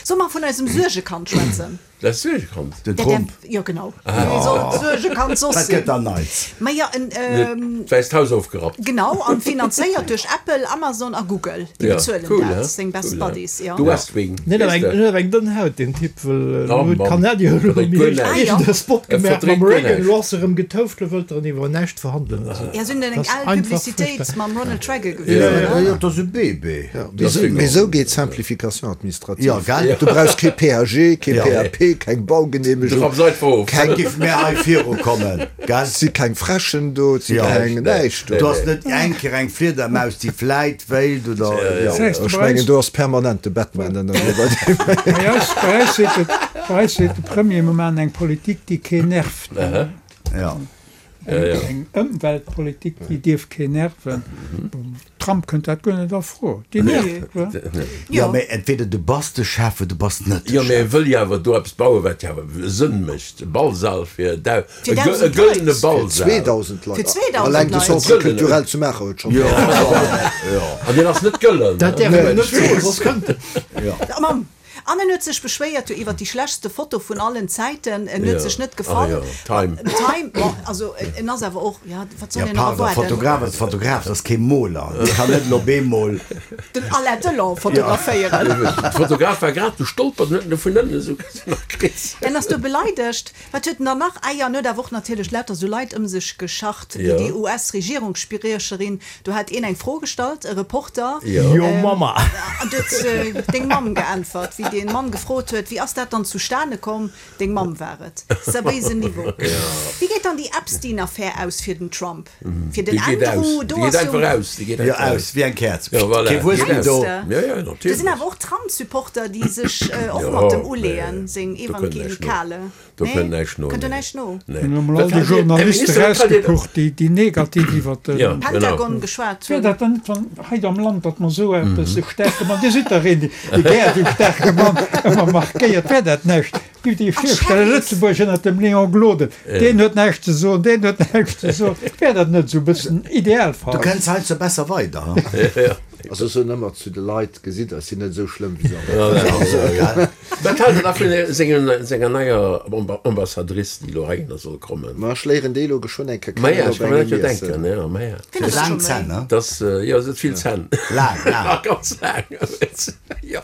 Solle mer vun eisem Suergekand schwätzen? Dat Suergekand? Den Der, Trump. der, jo, genau. Wie soll d'Suergekand soss Wat gëtt sinn? dann Neits? Ma ja, en, ähm, D'Wäisst Haus ofgerappt. genau, an finanzéiert duerch Apple, Amazon a Google. Déi Ja, bezuelen cool, dat, he? seng Best Cool, he? Buddies, ja. De West Wing. Net awer weess eng, de? net awer eng dënn Haut, deen Typ, well elo Oh huet Mann, d'Kanadier elo verdréit méi guer näischt. Ah, ja. iergend e Spot E gemaach mam verdréit guer Reagan, näischt. elo ass e rëm getouft, elo wëllt er iwwer näischt verhandelen. Also, Ja, sinn eng dat ass al einfach Publicitéit furchtbar. mam Ronald Reagan Ja, gewiesen, ja. oder? Ja, jo, dat ass e Bébé. Ja, mee esou, mee esou geet Simplification administrative. Ja, gell? Du brauchs kee P A G, kee Ja. P A P, keng Du Baugeneemegung, rapps einfach of. keng, Giff mir hei virukommen, gell? et si keng Fräschen do, et si Ja. keng näischt do. Du ass net eng Kéier eng Fliedermaus, déi vläit wéilt oder, Das jo. heißt, Ech bei mengen, eis, do ass permanent de Batman ënnerwee bei deem. bei eis, bei eis seet de, bei eis seet de Premier moment eng Politik, déi keen nervt. Ja. Eng, eng Ëmweltpolitik, déi dierf keen nerven. Trump kënnt dat guer net a Fro. Déi nervt, wa? Jo, mee entweder du bass de Chef oder du bass net de Jo, mee Chef. e wëll jo awer do eppes bauen, wat jo awer Sënn mécht, e Ballsall fir dau-, Fir e gë-, e dausend gëllene Leit. Fir Ballsal. zweedausend Fir Leit. zweedausend Alleng de Leit. Centre Gëllene. culturel zu Maacher huet schonn. Jo, jo. An deen ass net gëllen, Dat ne? däerf een net soen, soss kënnt en. A Mamm. An en huet sech beschwéiert jo iwwer déi schlechtste Foto vun allen Zäiten. En huet Jo. sech net Ah gefall. jo, Time. Time, bon, also en ass awer och, ja, wat soll Ja, een nach pardon, erwaarden? Fotograf ass Fotograf, dat ass kee Moler. Dee kann net elo bemol. Den Alain Delon fotograféieren. De Fotograf war grad gestolpert an huet en vun ënnen esou nach kritt. En ass do beleidegt. Wat huet en dann nach? Ah jo, en huet awer och natierlech lauter esou Leit ëm sech gescharrt, wéi Jo. déi U S-Regierungsspriecherin. Do hat een eng Fro gestallt, e Reporter. Jo. Your mama. An du huet deng Mamm geäntwert, wéi dee Mann gefrot huet, wéi ass dat dann zustane komm? Deng Mamm war et. Seriéisen Niveau. Wéi geet dann déi Epstein-Affär aus fir den Trump? Fir den Déi geet Andrew, aus. do Déi geet ass jo. einfach aus. Déi geet Jo, einfach aus, aus. wéi eng Käerz. Jo, voilà. Kee Wuess Geet méi aus. do. Mengst de? Ja, ja, Do sinn natierlech. awer och Trump-Supporter, déi sech och Jo, mat dem nee, uleeën, seng do kënnt näischt no. Evangelikale. Do Nee? kënnt näischt no, Kënnt do nee. näischt no? Nee. Hunn emol Wat all déi hat Dir, Här Journaliste Minister, wat hat Dir. rausgepucht, déi, déi negativ iwwer den. Ja, genau. Pentagon geschwat Wär hunn. dat dann net, wann hei am Land, datt mer esou eppes, e staarke Mann, Dir sidd dach een, dee gär esou staarke Mann ëmmer markéiert, wär dat näischt? Giff Dir Ach, virstellen, Sheriff. Lëtzebuerg ënnert dem Léon Gloden, deen huet näischt ze soen, deen huet näischt ze soen, wär dat net esou e bëssen Du Idealfall? kënns heiansdo besser weider, ha? Also ech soen ëmmer zu de Leit, gesitt der, ech sinn net esou schlëmm wéi se alle. Wat haalt Der da vun senger, senger neier Ambassadrice, déi elo heihinner soll kommen? Ma ech léieren déi elo geschwënn eng Kéier Ma ja, kennen ech op kann mir engem dat jo Iessen. denken, ja, ma ja. Wien ass Laang schon méi? Zänn, ne? Das, jo, se huet vill Zänn. Laang, laang. Ganz laang. Jo.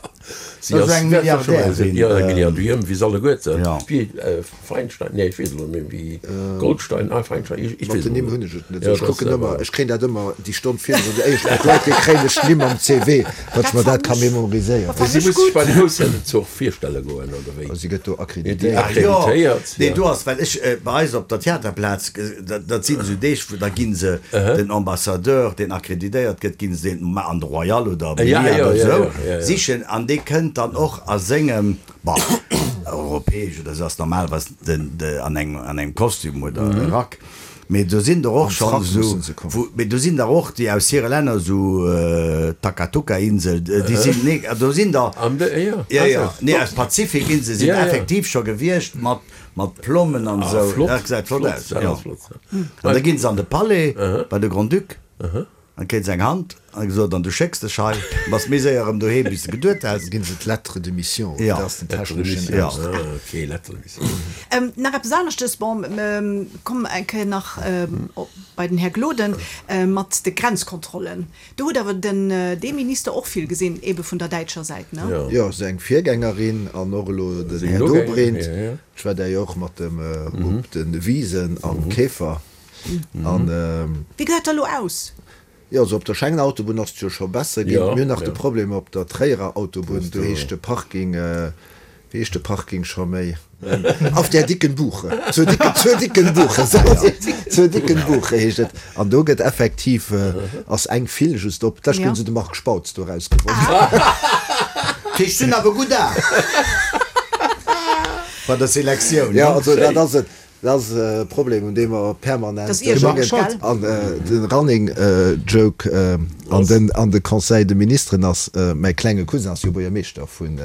Si Das ass ass eng wäert scho mol Milliardärin. Ja, eng Milliardärin, wéi se alleguerten. Ja. Wéi Feinstein, nee, ech weess elo net méi, wéi Goldstein, ah, Feinstein, ech, ech Mat weess den elo Nimm net. hunn ech et net. Ja, Ech das kucken ëmmer, awer. ech kréien dat ëmmer déi Stonn virdrun, déi éischt mat Leit, déi kréien ech d'Nimm am C V, datt ech mer dat ka memoriséieren. Dat Si fand ech muss sech gutt. bei den Ausländerzug virstelle goen, oder wéi? Si gëtt do Déi akkreditéiert. Ach jo, akkreditéiert, nee, ja. do ass, well ech bei eis op der Theaterplaz, dat, dat sinn esou Deeg, wou da gi se den Ambassadeur, deen akkreditéiert gëtt, gi se den an de Royal oder Ja, Milliard ja, oder ja, esou ja, ja, ja. sichen an dee kënnt dann och a sengem, bah, europäesch oder esou ass normalerweis den, de, an engem, an engem Kostüm oder mhm. Rack. Mee do sinn der och Am schonn Frack esou, mussen se kommen. wou, mee do sinn der och déi aus hire Länner, esou äh, Takatuka-Insel, déi sinn, nee, do sinn der, Am de, ja, ja, ja, also, nee, aus Pazifikinsel sinn Ja, ja. effektiv scho gewiescht mat, mat Plommen an Ah, esou. flott, Dat gesäit flott flott, aus, dat ja. ass flott, ja. An da ginn se an de Palais bei de Grand-Duc, dann kritt se eng Hand an gesot, an du schécks dech hei, bass méi séier erëm doheem, wéi s de geduet häss. Ginn se d'Lettre de mission, Ja. dat ass den Lettre de techneschen mission. Ja. Ausdrock. Ah, okay, Lettre de mission. Ähm, nach eppes aneschtes, bon, ähm, komm eng Kéier nach ähm, op, bei den Här Gloden, äh, mat de Grenzkontrollen. Do huet awer den, äh, dee Minister och vill gesinn, ebe vun der däitscher Säit, ne? Ja. Jo, seng Virgängerin an och elo den Seng Här Nogänger, Dobrindt. ja, ja. Ech war där jo och mat dem äh, op den Wisen am Käfer. An, ähm, Wéi gesäit dat elo aus? Jo, also op der Schengen-Autobunn ass et jo scho besser ginn. Ja, Mir hunn nach de ja. Problem op der Tréierer Autobunn, do heescht de Parking, wéi heescht de Parking scho méi? Auf der dicken Buche. Zur dicken, zur dicken Buche, zur dicken Buche heescht et. An do gëtt effektiv, ass eng File just op. D'lescht Ja. hunn se de Marc Spautz do erausgeworf. Déi stinn awer gutt da. Bei der Selektioun, Ja, ne? also dat ass et. Dat ass e Problem, un deem mer permanent Dat ass iergerlech, denken. gell? An de Running Joke an den an de Conseil de Ministeren ass, mäi klenge Cousin ass jo Buergermeeschter vun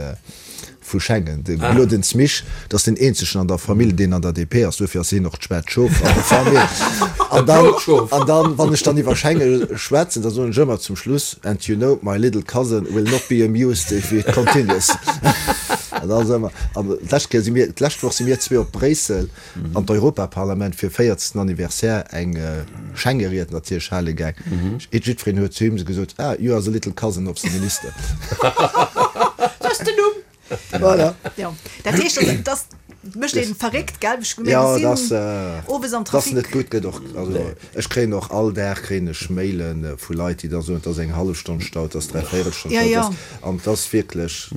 vu Schengen, de Glodens Misch, dat ass den eenzegen an der Famill, deen an der D P ass, duerfir ass hien och d'schwaart Schof an der Famill. An dann, Blot Schof. an dann, wann ech dann iwwer Schengen schwätzen, da soen ech ëmmer zum Schluss, And you know, my little cousin will not be amused if it continues. An da soe mer, an d'lescht Kéier si mir, d'lescht Woch si mir zwee op Bréissel an d'Europaparlament fir véierzten Anniversaire eng Schengeried natierlech hale gaang. Jiddwereen huet zu him gesot, Ah, you are the little cousin of the minister. Dat ass den Numm. Voilà. Jo, dat heescht, dat, dat mécht een verréckt, gell? Ech mir Ja, gesinn dat, äh, owes am dat ass Trafic. net gutt, gëtt och, also ech kréien och all Dag kréien ech Mailen vu Leit, déi da soen, et ass eng hallef Stonn Stau, et ass dräi véierel Stonn Ja, Stau, et ja. ass, an et ass wierklech,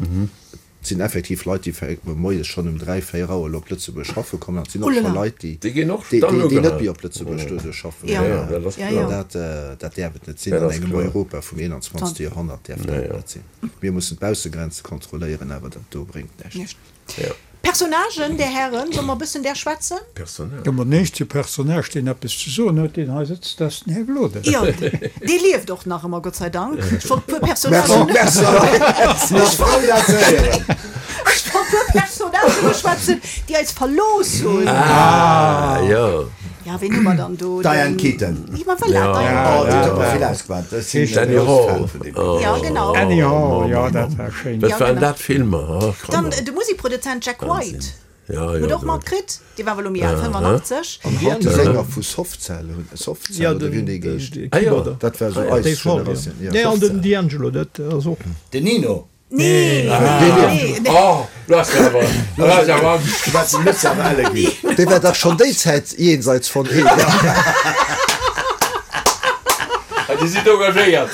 et sinn effektiv Leit, déi fänken moies schonn um dräi, véier Auer op Lëtzebuerg schaffe kommen, an et sinn och scho Oulala. Leit, déi, Déi ginn och déi, dann déi, déi net ugehal. méi op Lëtzebuerg doduerch schaffen Ja. kommen. Ja, dat ass Ja, kloer. ja. Dat, äh, dat däerf et net sinn. Dat An ass engem kloer. Europa vum einundzwanzegste Joerhonnert däerf dat Ja, ja. net sinn. Mir mussen d'Baussegrenze kontrolléieren, awer dat do bréngt näischt. Näischt. Ja. Personnagen, Där Hären, solle mer e bëssen där schwätzen? Personnage. Jo, ma den éischte Personnage, deen eppes ze soen huet, deen hei sëtzt, dat ass den Här Gloden. Jo, dee lieft och nach ëmmer, Gott sei Dank. Ech wollt e puer Personnagen. Merci, merci. Ech frou dat ze héieren. Ech wollt e puer Personnagen beschwätzen, déi eis verlooss hunn. Ah, jo. Ja, ween hu mer dann do? Diane Keaton. Ja, ma voilà, Diane Oh, déi huet mer Keaton. vill ausgemaach. Ech sinn e Annie grousse Hall. Fan vun deem. Oh, Ja, genau. Annie Hall, jo, dat war schéin. Wat Ja, waren genau. dat Filmer, ach, Dann Kanner. de Musikproduzent Jack White. Ja, jo, Hutt och dat. matkritt, dee war awer elo méi al, fënnefenachtzeg. An haut de Sänger vu Soft Cell, hunn Soft Cell Ja, oder den, wéi hunn déi den geheescht? Ah, jo. Keyboarder. Dat war esou Dave eis Hall, ja. Generatioun. Ja, Nee, an Soft den Cell. D'Angelo, dat ass och. Den Nino. Nee, nee, nee. Oh, lo ass awer, lo ass awer Angscht. Wat se muss awer elle ginn. Dee war dach schonn déi Zäit jenseits von Eden. Ah, Dir sidd engagéiert.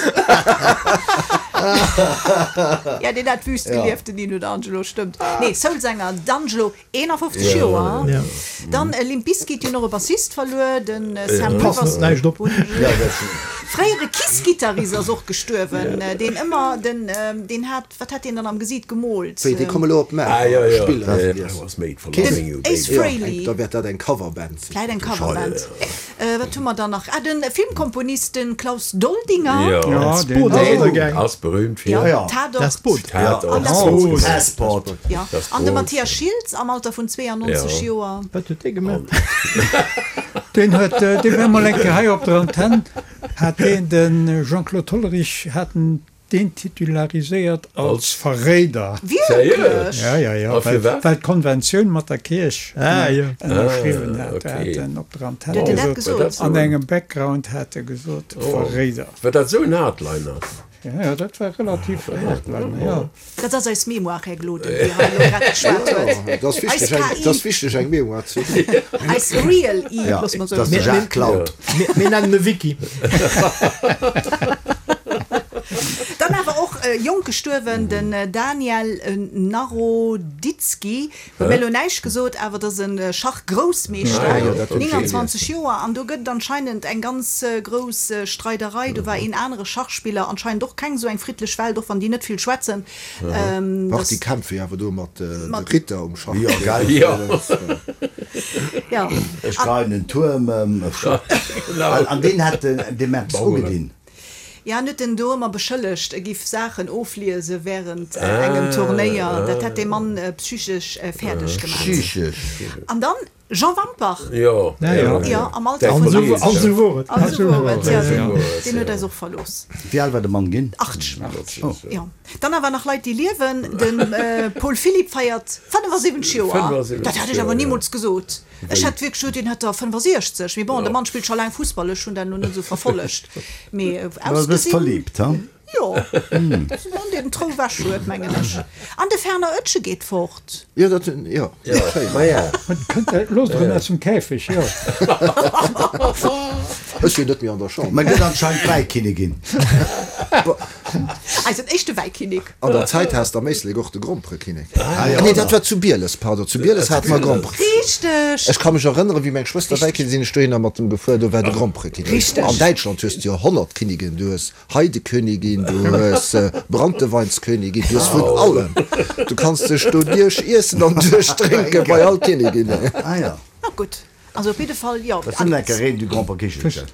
Ja, deen hat wüst gelieft, den Nino D'Angelo, stëmmt. Nee, Soulsänger D'Angelo, eenafofzeg Joer. Ja. Dann Limp Bizkit hunn och e Bassist verluer, den Sam Passt Rivers. näischt op. Fréiere Kiss-Gittarist ass och gestuerwen, deen ëmmer den, deen hat, wat hat deen dann am Gesiit gemoolt? Wéi, déi komme lo op Ah, Maach jo, jo. spillen. I was made for loving you, Den Ace baby. Frehley. Da wäert dat eng Coverband sinn. Vläit eng Coverband. Wat hu mer dann nach? Ah, de Filmkomponist, den Klaus Doldinger. Jo. Ja, deen Boot ass ënnergaang. Ass berühmt fir. Ja, Ja. Tatort. Das Boot. Tatort. An das Ganz Boot. genau. Passport. Ja. Das An de Boot. Matthias Schiltz am Alter vun zweeannonzeg Ja. Joer. Wat huet dee gemaach? Deen huet, dee war mol eng Kéier hei op der Antenn, hat deen de Jean-Claude Hollerich, hat en deen titulariséiert als Als? Verréider. Wierklech? Ja, ja, ja, A well, firwat? well d'Konventioun mat der Kierch Ah, jo. ënnerschriwwen Ah, hat. Da okay. hat en op der Antenn Huet en dat gesot, gesot? an engem Background hat e gesot, Verréider. War dat esou en Hardliner? Ja, ja, dat war relativ Hardliner, ja. Dat ass eis Mémoire, Här Gloden, déi hei elo grad geschwat huet. Dat ass wichteg, Eis eng, K I. dat ass wichteg, eng Mémoire ze hunn. Eis Real I, Ja, loosse mer dat ass soen. de Jacques Claude. Mir, mir nennen e Wiki. Dann awer och jonk gestuerwen, den Daniel Naroditsky. Huet mir elo näischt gesot, awer dat ass e Schachgroussmeeschter, nénganzwanzeg Joer. An do gëtt et anscheinend eng ganz grouss Streiderei. Do war een anere Schachspiller, anscheinend och keng esou eng friddlech Welt, och wann déi net vill schwätzen. Dach, déi kämpfe jo awer do mat de Ritter um Schach. Jo, gell? Jo. Jo. Ech geien den Tuerm ëm. An deen hat de Merz ugedinn. Ja, en huet en do ëmmer beschëllegt, e giff Saachen ofliese wärend engem Turnéier. Dat hätt dee Mann psychesch fäerdeg gemaach. Psychesch. An dann Jean Wampach. Jo, jo. Jo, am Alter vun An esou wor et. An esou wor et, jo. Deen huet eis och verlooss. Wéi al war de Mann ginn? Achteg. Jo. Dann awer nach Leit, déi liewen. De Paul Philipp feiert fënnefasiwwenzeg Joer. Dat hätt ech awer nimools gesot. Ech hätt wierklech gesot, deen hätt der fënnefasiechzeg. Mee bon, de Mann spillt scho laang Fussball, ech hunn dat elo net esou verfollegt. Mee Du bass ausgesinn. verliebt, ha? Jo, dat ass e Mann, deen den Trou ewech huet, mengen ech. An de Fernand Oetsch geet fort. Jo, dat, jo, schéin. Ma ja. Kënnt der, loosst der en aus dem Käfeg, jo. Ech sinn net méi an der Chamber. Mä gëtt anscheinend Wäikinnigin. Eisen éischte Wäikinnek. An der Zäit has de am Éislek och de Gromperekinnek. Ah nee, dat war zu Bieles, pardon, zu Bieles hate mer Grompere. Richteg! Ech ka mech erënneren, wéi meng Schwëster Wäikinnek sinn ech dohinner mat em gefuer, do war de Gromperekinnek. Richteg. An Däitschland hues de jo honnert Kinnigen, du hues Heidekönigin, du hues Brannteweinskönigin, du hues vun allem. Du kanns dech do duerch iessen an duerch drénke bei all Kinniginnen. Ah ja. Na gutt. Also op jidde Fall, jo. Dat sinn enker Reine du Gromperkichelchen.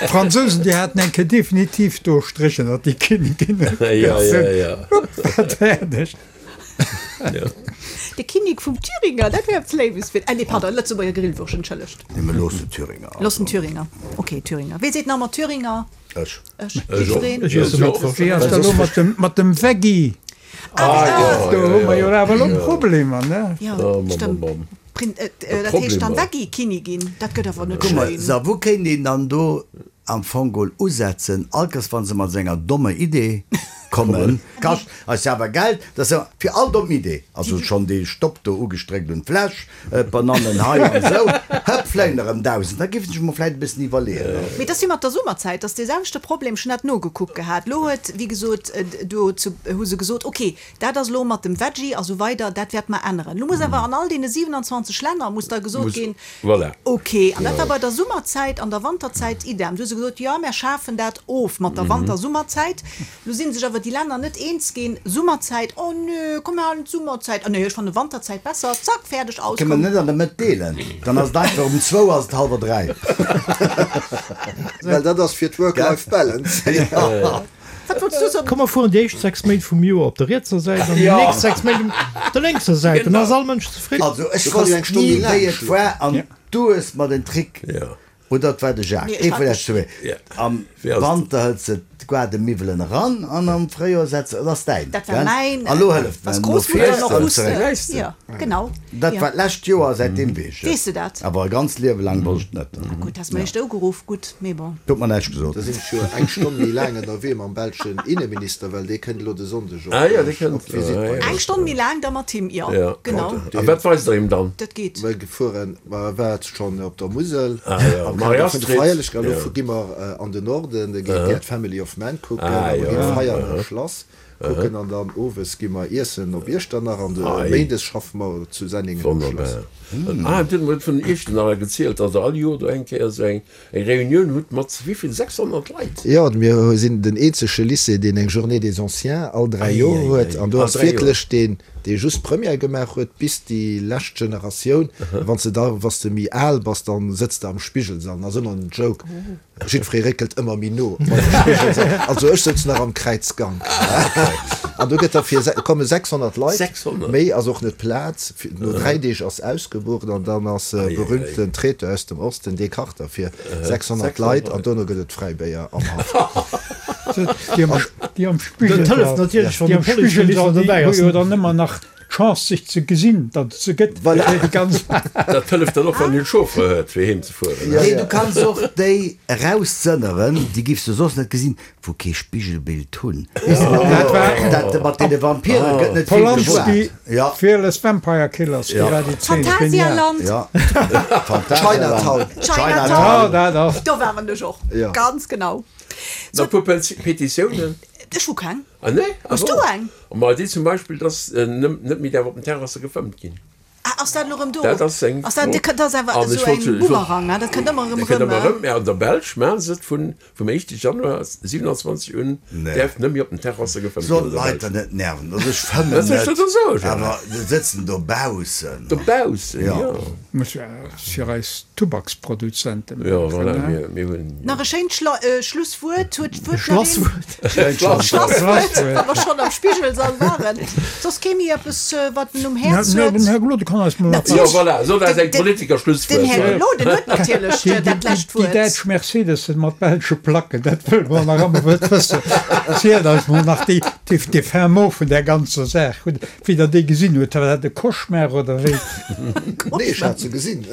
D'Fransousen, déi haten eng Kéier definitiv do Stréch ënnert déi Kinniginne. Ja, ja, ja. Hupp, fäerdeg. De Kinnek vum Thüringer, dat wär eppes Léiwes fir, ah nee, pardon, Lëtzebuerger Grillwurscht, entschëllegt. Nee, mä looss den Thüringer. Looss den Thüringer. Okay, Thüringer. Wee seet nach ëmmer Thüringer? Ech. Ech. Jiddwereen. Ech iesse Mëttwoch. Wéi ass dat elo mat dem, mat dem Veggie? Ah, jo, Do hu mer jo awer elo jo. Problemer, ne? Ja, Oh, bom, stëmmt. bom, bom. Prin, äh, dat heescht dann Problemer. Veggie-Kinnigin, dat gëtt awer net Guck mal, schéin. so, wou kéint een dann do am Fong geholl usetzen, allkes wann se mat esou enger dommer Idee kommen, kascht eis awer Geld, dat ass jo fir all domm Idee, also schonn dee Stopp do ugestréckt un d'Fläsch, d'Banannen hei an esou, hëpp, fléien erëm dausend, da géif ech mer vläit e bëssen iwwerleeën. Mee dat ass wéi mat der Summerzäit, dat ass dee selwechte Problem, ech hunn dat nogekuckt gehat. Lo huet, wéi gesot, do zu, hu se gesot, ok, dat ass lo mat dem Veggie a sou weider, dat wäerte mer änneren. Lo muss awer an all deene siewenundzwanzeg Länner muss da gesot Muss, ginn, voilà. ok, an dat war bei der Summerzäit an der Wanterzäit idem. Du hu se gesot, jo, mer schafen dat of mat der Wanter-Summerzäit. Lo si sech awer déi déi Länner net eens ginn, Summerzäit, oh nö, komm mir halen d'Summerzäit, oh nee, ech fannen Wanterzäit besser, zack, fäerdeg, aus, Kënne mer komm. net an der Mëtt deelen, dann ass et einfach um zwou ass et hallwer dräi. Well dat ass fir d'Work-Life-Balance. Wat wollts du soen? Komm mer fueren déi éischt sechs Méint vum Joer op der rietser Säit an déi nächst sechs Méint op der lénkser Säit, dann ass all Mënsch zefridden. Also ech Du kanns jo eng wosst Stonn ni méi laang wéi et schlofen. war an du hues mer den Trick, oder et war de Jacques, Nee, ech ee war vun et esch zwee, Ja. am Wéi ass et? Wanter hëls de d'Gaardemiwwelen eran an am Fréijoer setz de, dat ass däin, Dat war gell? mäin, A lo hëlleft was mer, no d'Grossmutter fiers noch de wusste. zeréck. Weess de? Ja, genau. Dat Ja. war d'lescht Joer, säitdeem weess ech et. Weess de dat? Awer e ganzt Liewe laang wosst ech et net. Ah gutt, has mer éischt ugeruff, gutt, mee bon. Huet mer näischt gesot. Da sinn ech jo eng Stonn méi laang ënnerwee mam belschen Inneminister, well dee kënnt elo de Sonndeg op Ah ja, dee kënnt. op d'Visitt bei Eng eis. Stonn méi laang da mat him, jo, Ja. genau. A wat weist der him dann? Dat geet. Mir gefueren, mer war schonn op der Musel Ah ja, am Kader vun de Marie-Astrid. Feierlechkeeten. Elo Ja. gi mer an den Norden, da gi mir d'Family of Man kucken, Ah a mer ja. ginn d'Veianer Schlass kucken an dann owes gi mer iessen op Iechternach an de Ei. Méindes schaffe mer zu Senningen um Schlass. Wonnerbar. Ah, du huet vun Iechternach gezielt, datt der all Joer do eng Kéier esou eng eng Reunioun hutt mat wéi vill, sechshonnert Leit? Jo, mir sinn den eenzege Lycée, deen eng Journée des Anciens all dräi Ei, Joer ei, huet. ei. An do All ass dräi Joer. wierklech deen, dee just Première gemaach huet, bis déi lescht Generatioun. Wann s de da, wann s de méi al bass, dann sëtz de am Spigelsall. Ass ëmmer en Joke. Jiddweree réckelt ëmmer méi no bei de Spigelsall. Also ech sëtzen nach am Kräizgank. An do gëtt da fir, komme sechshonnert Leit. sechshonnert? Méi ass och net Plaz. No dräi Deeg ass ausgebucht an dann ass e berühmten Traiteur aus dem Osten, dee kacht da fir sechshonnert Leit an dono gëtt et Fräibéier am Haff. Déi am, déi am Dat hëlleft Spigelsall, natierlech, wann déi de am Policeminister Spigelsall, déi dobäi hu ass. jo dann ëmmer nach d'Chance sech ze gesinn, datt et se gëtt. Voilà. Déi ganz Dat hëlleft dann och, wann een Chauffeur huet, fir heem ze fueren. Ja, Nee, ja. du kanns och déi eraussënneren, déi giffs du soss net gesinn, wou kee Spigelbild hunn. Dat war Dat mat deene Vampire gëtt net vill Polanski, geschwat. Ja, Fearless Vampire Killers, do war déi Zeen genial. Phantasialand, ja. Phantasialand. Chinatown. Chinatown. Ja, dat ass. Do waren ech och. Ja. Ganz genau. Na, puer Petitiounen. Ech hu keng. Ah nee? Hues du eng? Ma déi zum Beispill, dass net méi däerf op den Terrasse gefëmmt ginn. Ah, ass dat elo erëm do? Dat ass eng Ass dat, Fro. dat ass awer An ech esou wollt eng jo- ech wollt- Bumerang, ne? Dat kënnt ëmmer erëm Dat kënnt erëm, ëmmer ne? erëm. Mä an der Belsch maachen se et vun, vum éischte Januar siewenundzwanzeg un, Nee. däerf net méi op den Terrasse gefëmmt Sollen ginn an der d'Leit Belsch. der net nerven. Also ech fëmmen Wat soll ech net, da soen, Gérard? awer se sëtzen dobaussen. Dobaussen, Ja. jo. Muss jo fir eis Tubaksproduzenten Jo, maachen, voilà, ne? mir, mir hunn. Nach e schéint Schla Schlusswuert. Huet, huet nach een? Schlasswuert. Schlasswuert, wa mer schonn am Spigelsall waren. Soss kee méi eppes, wat en um Häerz Na, huet? den Här Gloden kann eis mol nach Jo, voilà, sot eis eng Den- Politiker-Schlusswuert. Den Här Gloden huet natierlech Déi, dat lescht déi Wuert. däitsch Mercedessen mat belsche Placken, dat wëlle mer nach ëmmer wëll wëssen. Zielt eis mol nach déi, déi, dee fin mot vun där ganzer Saach. Hutt, wéi Der déi gesinn hutt, war dat e Cauchemar oder wéi? Nee, ech hat se gesinn.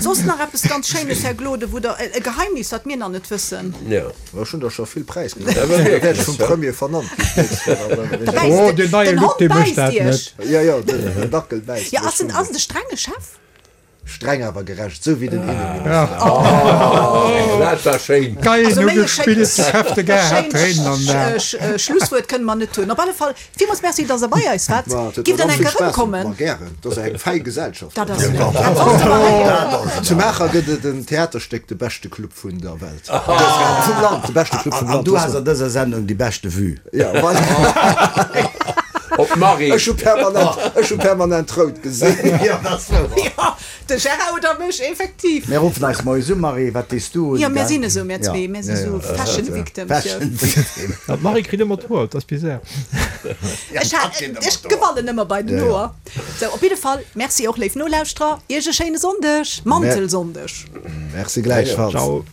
Soss nach eppes ganz Schéines, Här Gloden, wou Der, e Geheimnis, wat mir nach net wëssen? Jo. Ech hunn der scho vill präisginn. Dat war Da wäert ech wierklech, vum ja. Premier vernannt ginn d'nächst Woch, awer Da egal. bäisst Oh, de- den neie den Look, Hond dee mécht bäisst dat Iech. net. Ja, ja, den den Dackel bäisst Ja, mech ass en, schon. ass en de strenge Chef? Streng awer gerecht, sou wéi den Inneminister. Oh, dat war schéin. Geil, Also no méi e gespillt, schéint- Chef de Gare hat Tréinen an den Aen. schéint Schlusswuert kënne mer net hunn. Op alle Fall, villmools Merci, dass Der bei eis waart. Ma, et huet Giff mer dann ganz eng vill Kéier Spaass gemaach. erëmkommen. Ma gären, dat ass eng fäi Gesellschaft. Dat ass, dat wollte mer héieren. Zu Maacher gëtt et en Theaterstéck, De beschte Club vun der Welt. Vum Land, de beschte Club vum An Land. du has an dëser Sendung déi beschte Vue. Ja, voilà. Op d'Marie. Ech hu permanent, ech hu permanent rout gesinn. Ja, dat ass wouer. Ja, de Gérard oder mech, effektiv. Mir ruffen eis moies u, Marie, wat dees du un? Ja, mir gell? sinn esou, mir zwee, mir si sou Fashion Victims. Jo. Fashion Victim. Ja, d'Marie kritt ëmmer d'Hoer, dat ass bizar. Ech ha, ech gewannen ëmmer bei den Hoer. Sou, op jidde Fall, Merci och, léif Nolauschterer, Iech e schéine Sonndeg, Mantelsonndeg. Merci gläichfalls. Ciao.